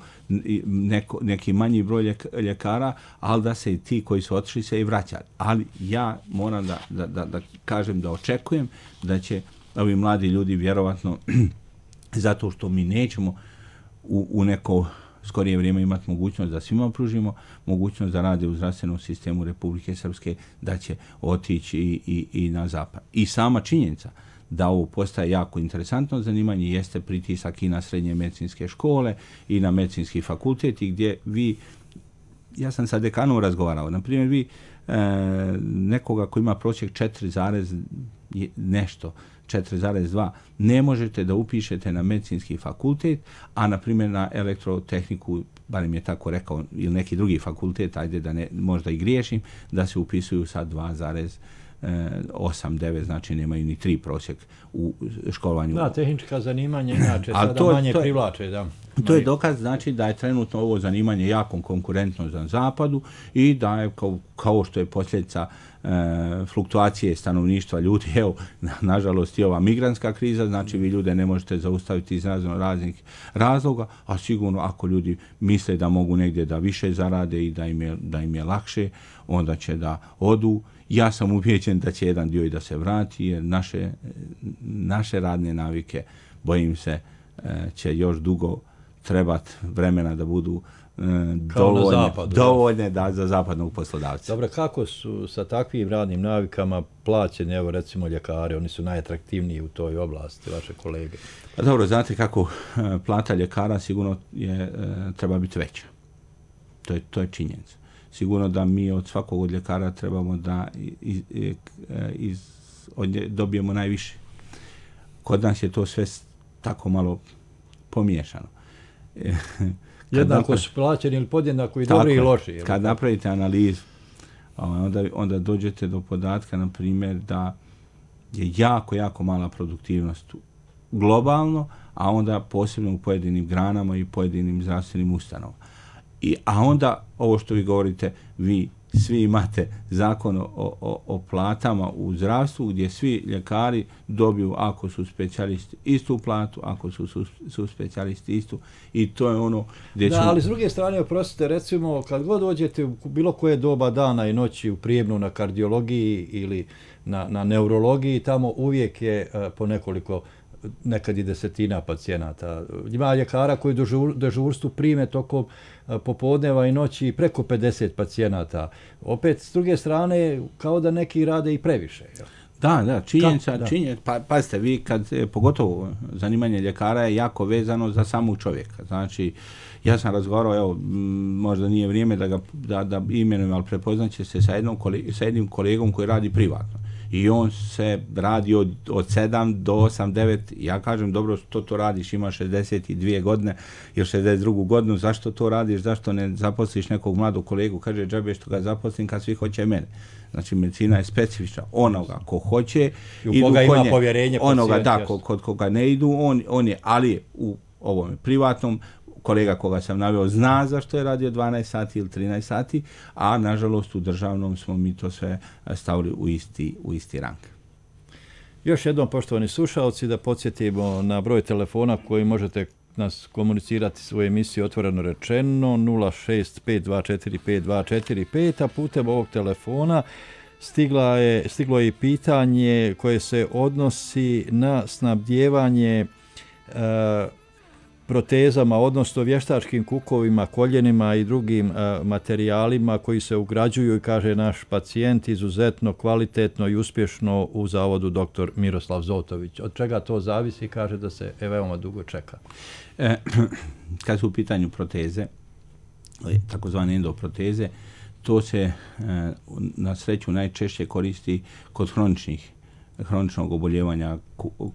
neko, neki manji broj ljekara, ali da se i ti koji su otišli se i vraćali. Ali ja moram da, da, da, da kažem da očekujem da će ovi mladi ljudi vjerovatno, zato što mi nećemo u, u neko skorije vrijeme imati mogućnost da svima pružimo mogućnost da rade u zdravstvenom sistemu Republike Srpske, da će otići i, i, i na zapad. I sama činjenica da ovo postaje jako interesantno zanimanje jeste pritisak i na srednje medicinske škole i na medicinski fakultet, i gdje vi, ja sam sa dekanom razgovarao, na primjer vi e, nekoga koji ima prosjek četiri zarez nešto, četiri zarez dva, ne možete da upišete na medicinski fakultet, a na primjer na elektrotehniku, barem je tako rekao, ili neki drugi fakultet, ajde da ne, možda i griješim, da se upisuju sa dva zarez osam devet, znači nemaju ni tri prosjek u školovanju. Da, tehnička zanimanja inače sada to, manje to, privlače. Da. To je dokaz, znači, da je trenutno ovo zanimanje jako konkurentno za zapadu i da je kao, kao što je posljedica e, fluktuacije stanovništva ljudi, evo, na, nažalost i ova migrantska kriza, znači vi ljude ne možete zaustaviti iz razno raznih razloga, a sigurno ako ljudi misle da mogu negdje da više zarade i da im je, da im je lakše, onda će da odu. Ja sam ubijeđen da će jedan dio i da se vrati, jer naše, naše radne navike, bojim se, će još dugo trebati vremena da budu dovoljne, zapadu, dovoljne da, za zapadnog poslodavca. Dobro, kako su sa takvim radnim navikama plaćeni, evo recimo ljekari, oni su najatraktivniji u toj oblasti, vaše kolege? Pa dobro, znate kako plata ljekara sigurno je, treba biti veća. To je, to je činjenica. Sigurno da mi od svakog od ljekara trebamo da iz, iz, od nje dobijemo najviše. Kod nas je to sve tako malo pomiješano. Jednako su plaćeni ili podjednako i dobri i loši. Kad napravite analizu, onda, onda dođete do podatka, na primjer, da je jako, jako mala produktivnost globalno, a onda posebno u pojedinim granama i pojedinim zdravstvenim ustanovama. I, a onda, ovo što vi govorite, vi svi imate zakon o, o, o platama u zdravstvu, gdje svi ljekari dobiju, ako su specijalisti, istu platu, ako su, su, su specijalisti istu, i to je ono gdje da, ću... ali s druge strane, oprostite, recimo, kad god dođete u bilo koje doba dana i noći u Prijemnu na kardiologiji ili na, na neurologiji, tamo uvijek je uh, po nekoliko, nekad i desetina pacijenata. Ima ljekara koji dežur, dežurstvu prime tokom popodneva i noći preko pedeset pacijenata. Opet, s druge strane, kao da neki rade i previše. Jel? Da, da, činjenica, da. činjenica, pa, pazite, vi kad, pogotovo zanimanje ljekara je jako vezano za samog čovjeka. Znači, ja sam razgovarao, evo, možda nije vrijeme da ga da, da imenujem, ali prepoznaće se sa, jednom koleg, sa jednim kolegom koji radi privatno. I on se radi od, od sedam do osam devet, ja kažem, dobro, što to radiš, ima šezdeset dvije godine, ili šezdeset drugu godinu, zašto to radiš, zašto ne zaposliš nekog mladog kolegu, kaže, džabe što ga zaposlim kad svi hoće mene. Znači, medicina je specifična, onoga ko hoće, i u koga ima povjerenje onoga, da, kod, kod koga ne idu, on, on je, ali je u ovom privatnom, kolega koga sam naveo zna zašto je radio dvanaest sati ili trinaest sati, a nažalost u državnom smo mi to sve stavili u isti, u isti rang. Još jednom, poštovani slušalci, da podsjetimo na broj telefona koji možete nas komunicirati svoje emisije Otvoreno rečeno nula šest pet dva četiri pet dva četiri pet, a putem ovog telefona stigla je, stiglo je i pitanje koje se odnosi na snabdijevanje e, protezama, odnosno vještačkim kukovima, koljenima i drugim a, materijalima koji se ugrađuju, i kaže naš pacijent, izuzetno kvalitetno i uspješno u zavodu doktor Miroslav Zotović. Od čega to zavisi, kaže da se veoma dugo čeka. E, kad su u pitanju proteze, takozvane endoproteze. To se na sreću najčešće koristi kod hroničnih hroničnog oboljevanja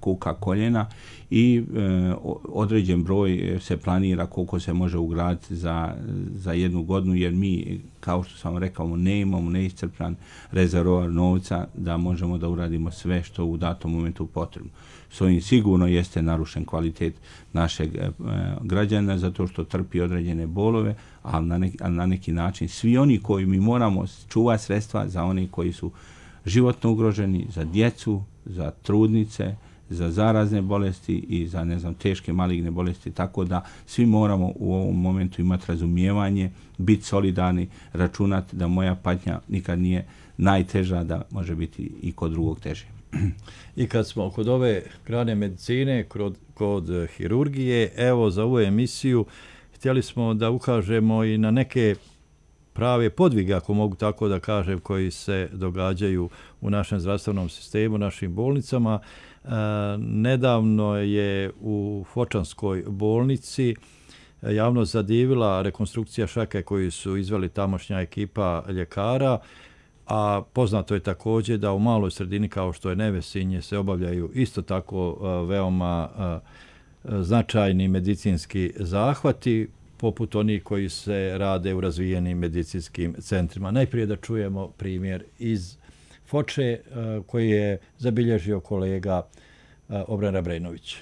kuka koljena i e, određen broj se planira koliko se može ugraditi za, za jednu godinu, jer mi, kao što sam rekao, ne imamo neiscrpan rezervoar novca da možemo da uradimo sve što u datom momentu potrebno. S ovim sigurno jeste narušen kvalitet našeg e, građana zato što trpi određene bolove, ali na, neki, ali na neki način svi oni koji mi moramo čuvati sredstva za oni koji su životno ugroženi, za djecu, za trudnice, za zarazne bolesti i za, ne znam, teške maligne bolesti, tako da svi moramo u ovom momentu imati razumijevanje, biti solidarni, računati da moja patnja nikad nije najteža, da može biti i kod drugog teže. I kad smo kod ove grane medicine, kod, kod hirurgije, evo za ovu emisiju htjeli smo da ukažemo i na neke prave podvige, ako mogu tako da kažem, koji se događaju u našem zdravstvenom sistemu, našim bolnicama. E, nedavno je u Fočanskoj bolnici javnost zadivila rekonstrukcija šake koju su izveli tamošnja ekipa ljekara, a poznato je također da u maloj sredini kao što je Nevesinje se obavljaju isto tako e, veoma e, značajni medicinski zahvati, poput onih koji se rade u razvijenim medicinskim centrima. Najprije da čujemo primjer iz Foče koji je zabilježio kolega Obran Rabrenović.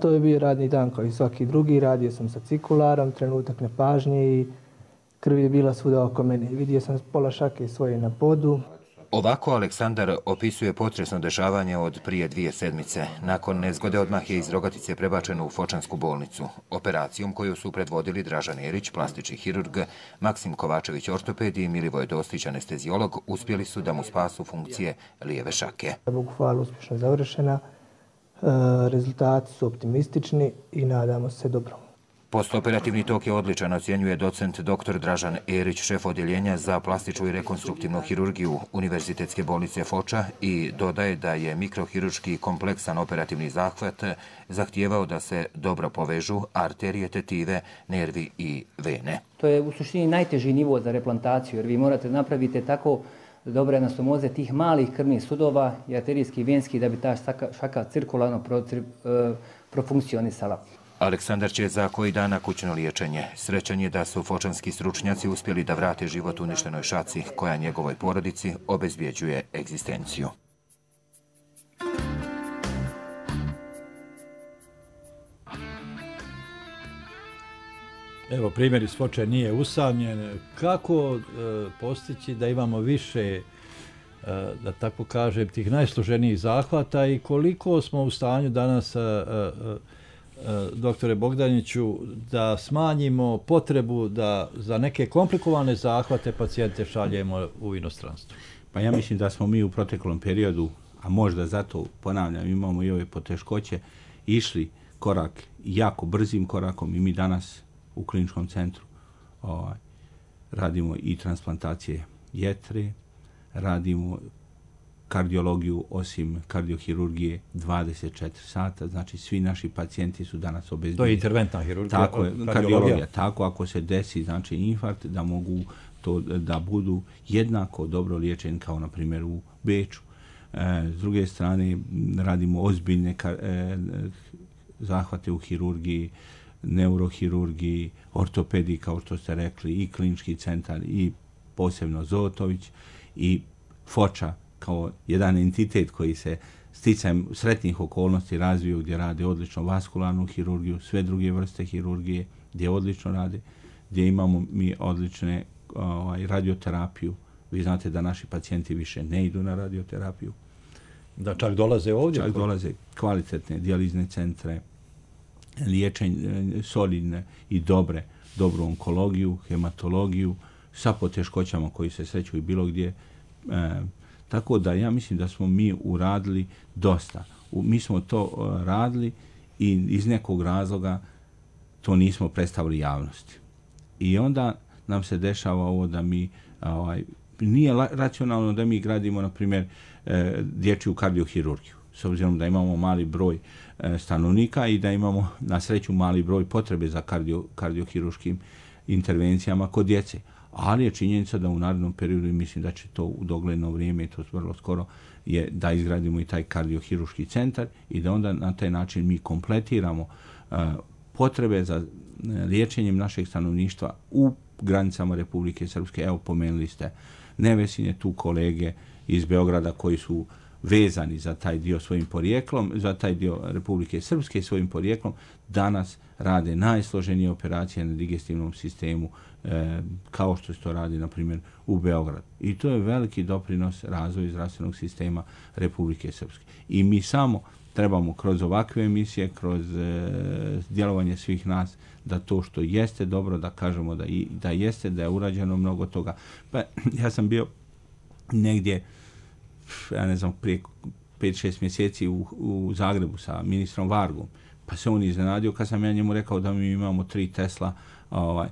To je bio radni dan kao i svaki drugi. Radio sam sa cikularom, trenutak nepažnje i krv je bila svuda oko mene. Vidio sam pola šake svoje na podu. Ovako Aleksandar opisuje potresno dešavanje od prije dvije sedmice. Nakon nezgode odmah je iz Rogatice prebačeno u Fočansku bolnicu. Operacijom koju su predvodili Dražan Erić, plastični hirurg, Maksim Kovačević, ortoped i Milivoj Dostić, anestezijolog, uspjeli su da mu spasu funkcije lijeve šake. Bogu hvala, uspješno završena. E, rezultati su optimistični i nadamo se dobro. Postoperativni tok je odličan, ocjenjuje docent dr. Dražan Erić, šef odjeljenja za plastičnu i rekonstruktivnu hirurgiju Univerzitetske bolnice Foča, i dodaje da je mikrohirurški kompleksan operativni zahvat zahtijevao da se dobro povežu arterije, tetive, nervi i vene. To je u suštini najteži nivo za replantaciju, jer vi morate napraviti tako dobre anastomoze tih malih krvnih sudova i arterijski i venski da bi ta šaka cirkularno profunkcionisala. Aleksandar će za koji dana kućno liječenje. Srećan je da su fočanski stručnjaci uspjeli da vrate život uništenoj šaci koja njegovoj porodici obezbjeđuje egzistenciju. Evo, primjer iz Foče nije usamljen. Kako e, postići da imamo više, e, da tako kažem, tih najsloženijih zahvata i koliko smo u stanju danas, e, e, doktore Bogdaniću, da smanjimo potrebu da za neke komplikovane zahvate pacijente šaljemo u inostranstvo? Pa ja mislim da smo mi u proteklom periodu, a možda zato, ponavljam, imamo i ove poteškoće, išli korak, jako brzim korakom, i mi danas u kliničkom centru ovaj, radimo i transplantacije jetre, radimo kardiologiju osim kardiohirurgije dvadeset četiri sata, znači svi naši pacijenti su danas obezbjeđeni. To je interventna hirurgija, tako je, kardiologija. Tako, ako se desi znači infarkt, da mogu to da budu jednako dobro liječeni kao na primjer u Beču. E, s druge strane radimo ozbiljne kar, e, zahvate u hirurgiji, neurohirurgiji, ortopediji, kao što ste rekli, i klinički centar, i posebno Zotović, i Foča kao jedan entitet koji se sticajem sretnih okolnosti razviju, gdje rade odlično vaskularnu hirurgiju, sve druge vrste hirurgije, gdje odlično rade, gdje imamo mi odlične ovaj, radioterapiju. Vi znate da naši pacijenti više ne idu na radioterapiju. Da čak dolaze ovdje? Čak dolaze kvalitetne dijalizne centre, liječenje solidne i dobre, dobru onkologiju, hematologiju, sa poteškoćama koji se sreću i bilo gdje. E, tako da ja mislim da smo mi uradili dosta. U, mi smo to uh, radili i iz nekog razloga to nismo predstavili javnosti. I onda nam se dešava ovo da mi, ovaj, nije la, racionalno da mi gradimo, na primjer, e, dječju kardiohirurgiju, s obzirom da imamo mali broj e, stanovnika i da imamo na sreću mali broj potrebe za kardio, kardiohirurškim intervencijama kod djece. Ali je činjenica da u narednom periodu, i mislim da će to u dogledno vrijeme, to vrlo skoro, je da izgradimo i taj kardiohiruški centar i da onda na taj način mi kompletiramo uh, potrebe za liječenjem našeg stanovništva u granicama Republike Srpske. Evo, pomenuli ste Nevesinje, tu kolege iz Beograda koji su vezani za taj dio svojim porijeklom, za taj dio Republike Srpske svojim porijeklom, danas rade najsloženije operacije na digestivnom sistemu, e, kao što se to radi, na primjer, u Beogradu. I to je veliki doprinos razvoju zdravstvenog sistema Republike Srpske. I mi samo trebamo kroz ovakve emisije, kroz e, djelovanje svih nas, da to što jeste dobro, da kažemo da, i, da jeste, da je urađeno mnogo toga. Pa ja sam bio negdje, ja ne znam, prije pet šest mjeseci u, u Zagrebu sa ministrom Vargom, pa se on iznenadio kad sam ja njemu rekao da mi imamo tri Tesla ovaj,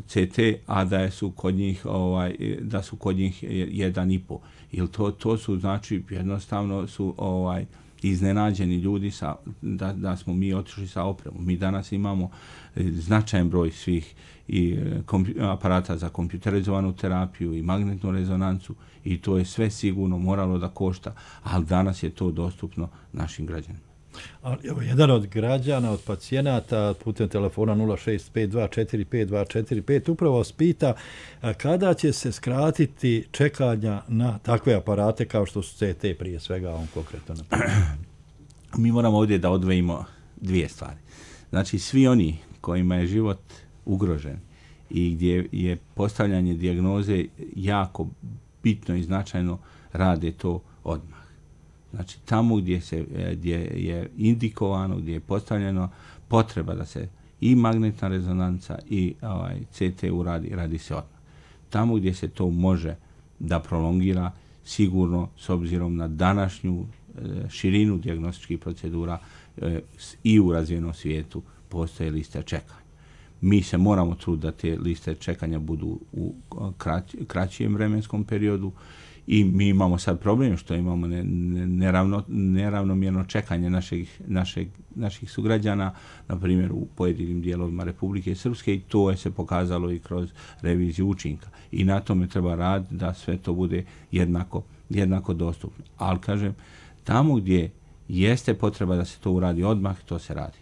C T, a da su kod njih ovaj, da su kod njih jedan i po. Ili to, to su, znači, jednostavno su ovaj, iznenađeni ljudi sa, da, da smo mi otišli sa opremom. Mi danas imamo značajan broj svih i kompju, aparata za kompjuterizovanu terapiju i magnetnu rezonancu i to je sve sigurno moralo da košta, ali danas je to dostupno našim građanima. Ali evo, jedan od građana, od pacijenata putem telefona nula šest pet dva četiri pet dva četiri pet upravo vas pita kada će se skratiti čekanja na takve aparate kao što su C T, prije svega on konkretno. Mi moramo ovdje da odvojimo dvije stvari. Znači, svi oni kojima je život ugrožen i gdje je postavljanje dijagnoze jako bitno i značajno, rade to odmah. Znači, tamo gdje, se, gdje je indikovano, gdje je postavljeno potreba da se i magnetna rezonanca i ovaj, C T uradi, radi se odmah. Tamo gdje se to može da prolongira, sigurno, s obzirom na današnju e, širinu dijagnostičkih procedura e, i u razvijenom svijetu, postoje liste čekanja. Mi se moramo truditi da te liste čekanja budu u krać, kraćijem vremenskom periodu i mi imamo sad problem što imamo ne, ne, neravno, neravnomjerno čekanje naših, našeg, naših sugrađana, na primjer u pojedinim dijelovima Republike Srpske, i to je se pokazalo i kroz reviziju učinka. I na tome treba raditi da sve to bude jednako, jednako dostupno. Ali kažem, tamo gdje jeste potreba da se to uradi odmah, to se radi.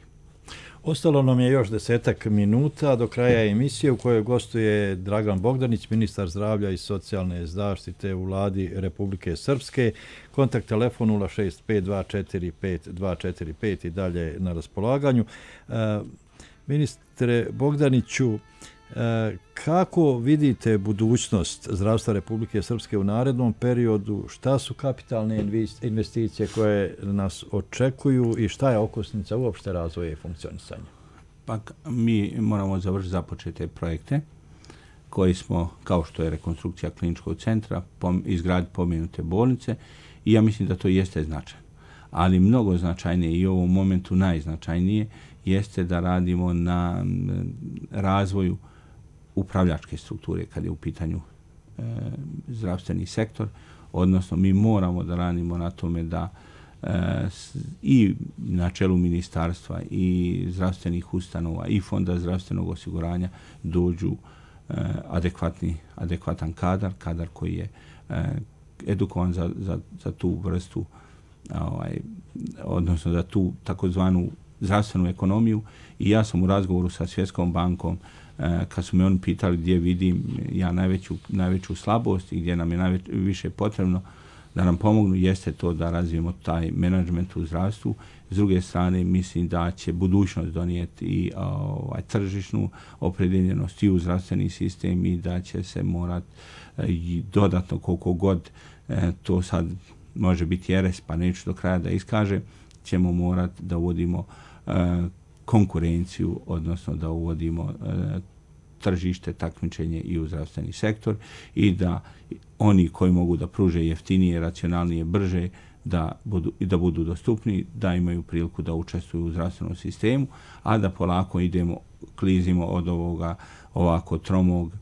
Ostalo nam je još desetak minuta do kraja emisije u kojoj gostuje Dragan Bogdanić, ministar zdravlja i socijalne zaštite u vladi Republike Srpske. Kontakt telefon nula šest pet dva četiri pet dva četiri pet i dalje na raspolaganju. E, ministre Bogdaniću, e, kako vidite budućnost zdravstva Republike Srpske u narednom periodu? Šta su kapitalne investicije koje nas očekuju i šta je okosnica uopšte razvoja i funkcionisanja? Pa mi moramo završiti započete projekte koji smo, kao što je rekonstrukcija kliničkog centra, izgraditi pomenute bolnice i ja mislim da to jeste značajno. Ali mnogo značajnije i u ovom momentu najznačajnije jeste da radimo na razvoju upravljačke strukture kad je u pitanju e, zdravstveni sektor, odnosno mi moramo da radimo na tome da e, s, i na čelu ministarstva i zdravstvenih ustanova i fonda zdravstvenog osiguranja dođu e, adekvatni, adekvatan kadar, kadar koji je e, edukovan za, za, za tu vrstu, ovaj, odnosno za tu takozvanu zdravstvenu ekonomiju. I ja sam u razgovoru sa Svjetskom bankom, kad su me oni pitali gdje vidim ja najveću, najveću slabost i gdje nam je najviše potrebno da nam pomognu, jeste to da razvijemo taj menadžment u zdravstvu. S druge strane, mislim da će budućnost donijeti i ovaj, tržišnu opredjeljenost i u zdravstveni sistem i da će se morati i dodatno koliko god e, to sad može biti jeres, pa neću do kraja da iskaže, ćemo morati da uvodimo e, konkurenciju, odnosno da uvodimo e, tržište, takmičenje i u zdravstveni sektor i da oni koji mogu da pruže jeftinije, racionalnije, brže, da budu, da budu dostupni, da imaju priliku da učestvuju u zdravstvenom sistemu, a da polako idemo, klizimo od ovoga ovako tromog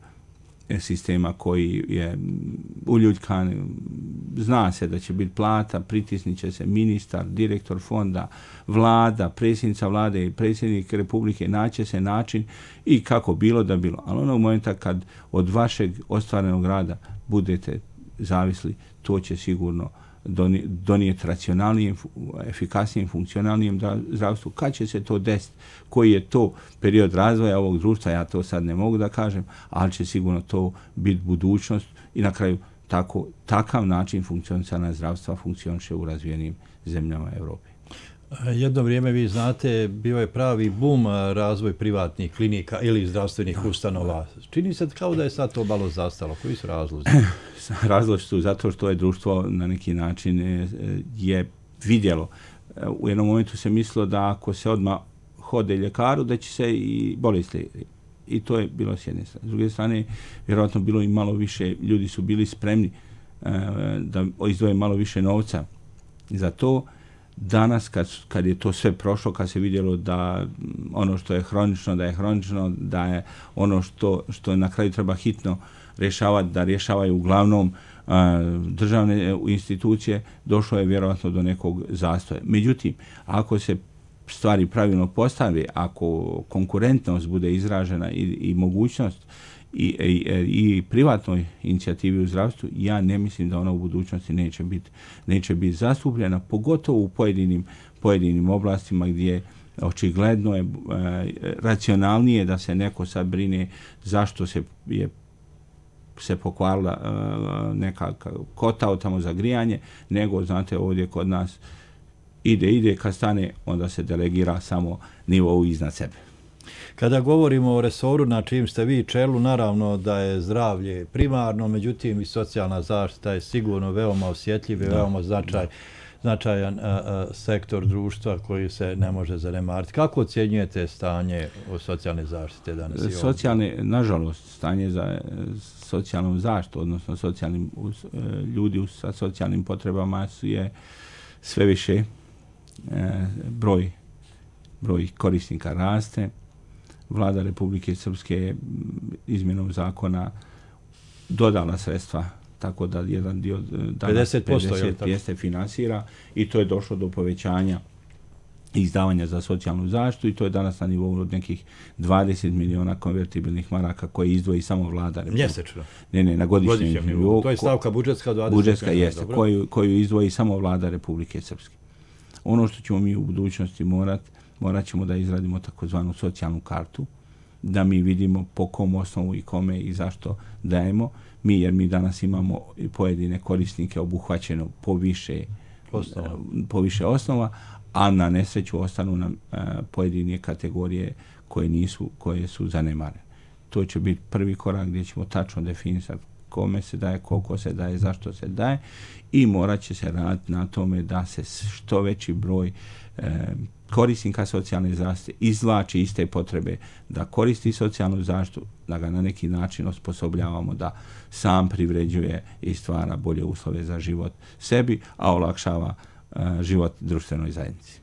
sistema koji je uljuljkan, zna se da će biti plata, pritisnit će se ministar, direktor fonda, vlada, predsjednica vlade i predsjednik republike, naće se način i kako bilo da bilo. Ali onog momenta kad od vašeg ostvarenog rada budete zavisli, to će sigurno donijeti racionalnijem, efikasnijem, funkcionalnijem zdravstvu. Kad će se to desiti? Koji je to period razvoja ovog društva? Ja to sad ne mogu da kažem, ali će sigurno to biti budućnost i na kraju tako, takav način funkcionisanja zdravstva funkcioniše u razvijenim zemljama Europe. Jedno vrijeme, vi znate, bio je pravi bum razvoj privatnih klinika ili zdravstvenih ustanova. Čini se kao da je sad to malo zastalo. Koji su razlozi? Razlozi su zato što je društvo na neki način je vidjelo. U jednom momentu se mislilo da ako se odmah hode ljekaru, da će se i bolesti. I to je bilo s jedne strane. S druge strane, vjerojatno bilo i malo više, ljudi su bili spremni da izdvoje malo više novca za to. Danas, kad, kad je to sve prošlo, kad se vidjelo da ono što je hronično, da je hronično, da je ono što, što na kraju treba hitno rješavati, da rješavaju uglavnom a, državne institucije, došlo je vjerojatno do nekog zastoja. Međutim, ako se stvari pravilno postave, ako konkurentnost bude izražena i, i mogućnost i, i, i privatnoj inicijativi u zdravstvu, ja ne mislim da ona u budućnosti neće biti neće biti zastupljena, pogotovo u pojedinim, pojedinim oblastima gdje očigledno je e, racionalnije da se neko sad brine zašto se je se pokvarila e, neka kotao tamo za grijanje, nego, znate, ovdje kod nas ide, ide, kad stane, onda se delegira samo nivou iznad sebe. Kada govorimo o resoru na čim ste vi čelu, naravno da je zdravlje primarno, međutim i socijalna zaštita je sigurno veoma osjetljiv i veoma značaj, značajan a, a, sektor društva koji se ne može zanemariti. Kako ocjenjujete stanje o socijalne zaštite danas? Socijalne, nažalost, stanje za socijalnu zaštitu, odnosno socijalnim, ljudi sa socijalnim potrebama su je sve više, e, broj, broj korisnika raste. Vlada Republike Srpske je izmjenom zakona dodala sredstva, tako da jedan dio danas pedeset posto jeste finansira i to je došlo do povećanja izdavanja za socijalnu zaštitu i to je danas na nivou od nekih dvadeset miliona konvertibilnih maraka koje izdvoji samo vlada Republike. Mjesečno? Ne, ne, na godišnjem nivou. To je stavka budžetska dvadeset. Budžetska jeste, koju, koju izdvoji samo vlada Republike Srpske. Ono što ćemo mi u budućnosti morati, morat ćemo da izradimo takozvanu socijalnu kartu, da mi vidimo po kom osnovu i kome i zašto dajemo. Mi, jer mi danas imamo pojedine korisnike obuhvaćeno po više osnova, po više osnova, a na nesreću ostanu nam uh, pojedine kategorije koje nisu, koje su zanemare. To će biti prvi korak gdje ćemo tačno definisati kome se daje, koliko se daje, zašto se daje i morat će se raditi na tome da se što veći broj uh, korisnika socijalne zaštite izvlači iste potrebe da koristi socijalnu zaštitu, da ga na neki način osposobljavamo da sam privređuje i stvara bolje uslove za život sebi, a olakšava uh, život društvenoj zajednici.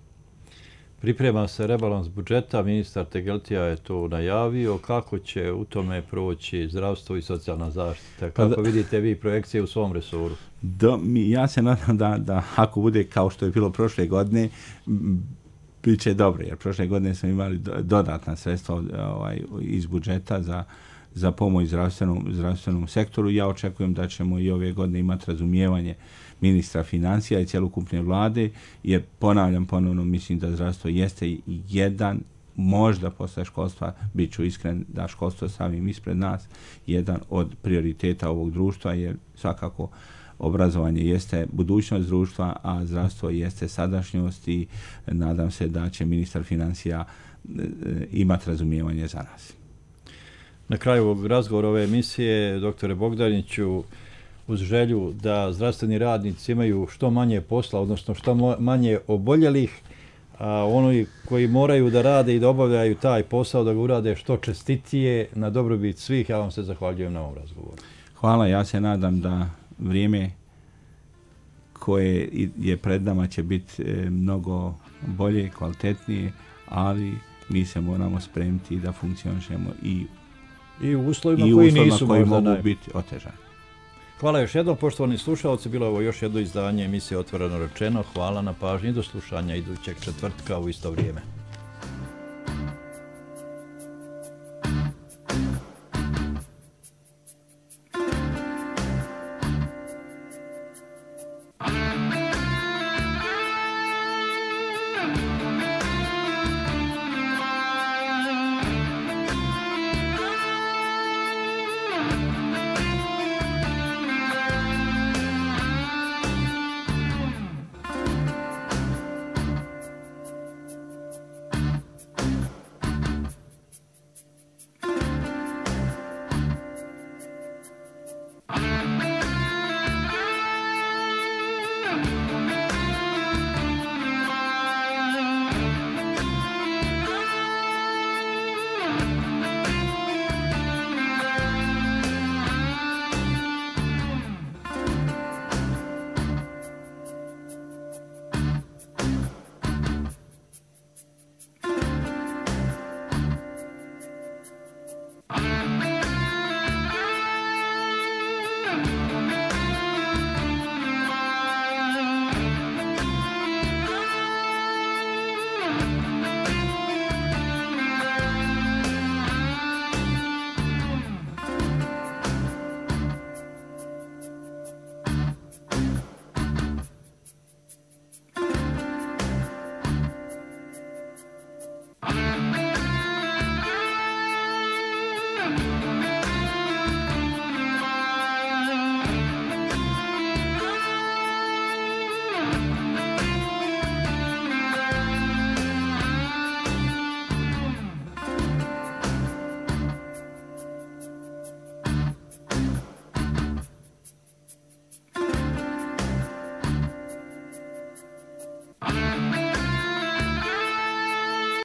Priprema se rebalans budžeta, ministar Tegeltija je to najavio. Kako će u tome proći zdravstvo i socijalna zaštita? Kako da, vidite vi projekcije u svom resoru? Da, mi, ja se nadam da, da ako bude kao što je bilo prošle godine, bit će dobro, jer prošle godine smo imali dodatna sredstva ovaj, iz budžeta za, za pomoć zdravstvenom, zdravstvenom sektoru. Ja očekujem da ćemo i ove godine imati razumijevanje ministra financija i cjelokupne vlade, jer ponavljam ponovno, mislim da zdravstvo jeste jedan, možda posle školstva, bit ću iskren da školstvo stavim ispred nas, jedan od prioriteta ovog društva, jer svakako obrazovanje jeste budućnost društva, a zdravstvo jeste sadašnjost i nadam se da će ministar financija imati razumijevanje za nas. Na kraju ovog razgovora ove emisije, doktore Bogdaniću, uz želju da zdravstveni radnici imaju što manje posla, odnosno što manje oboljelih, a oni koji moraju da rade i da obavljaju taj posao, da ga urade što čestitije na dobrobit svih, ja vam se zahvaljujem na ovom razgovoru. Hvala, ja se nadam da vrijeme koje je pred nama će biti mnogo bolje, kvalitetnije, ali mi se moramo spremiti da funkcionišemo i I u uslovima i koji uslovima nisu koji možda mogu naj... biti otežani. Hvala još jednom, poštovani slušalci. Bilo je ovo još jedno izdanje emisije Otvoreno rečeno. Hvala na pažnji, do slušanja idućeg četvrtka u isto vrijeme.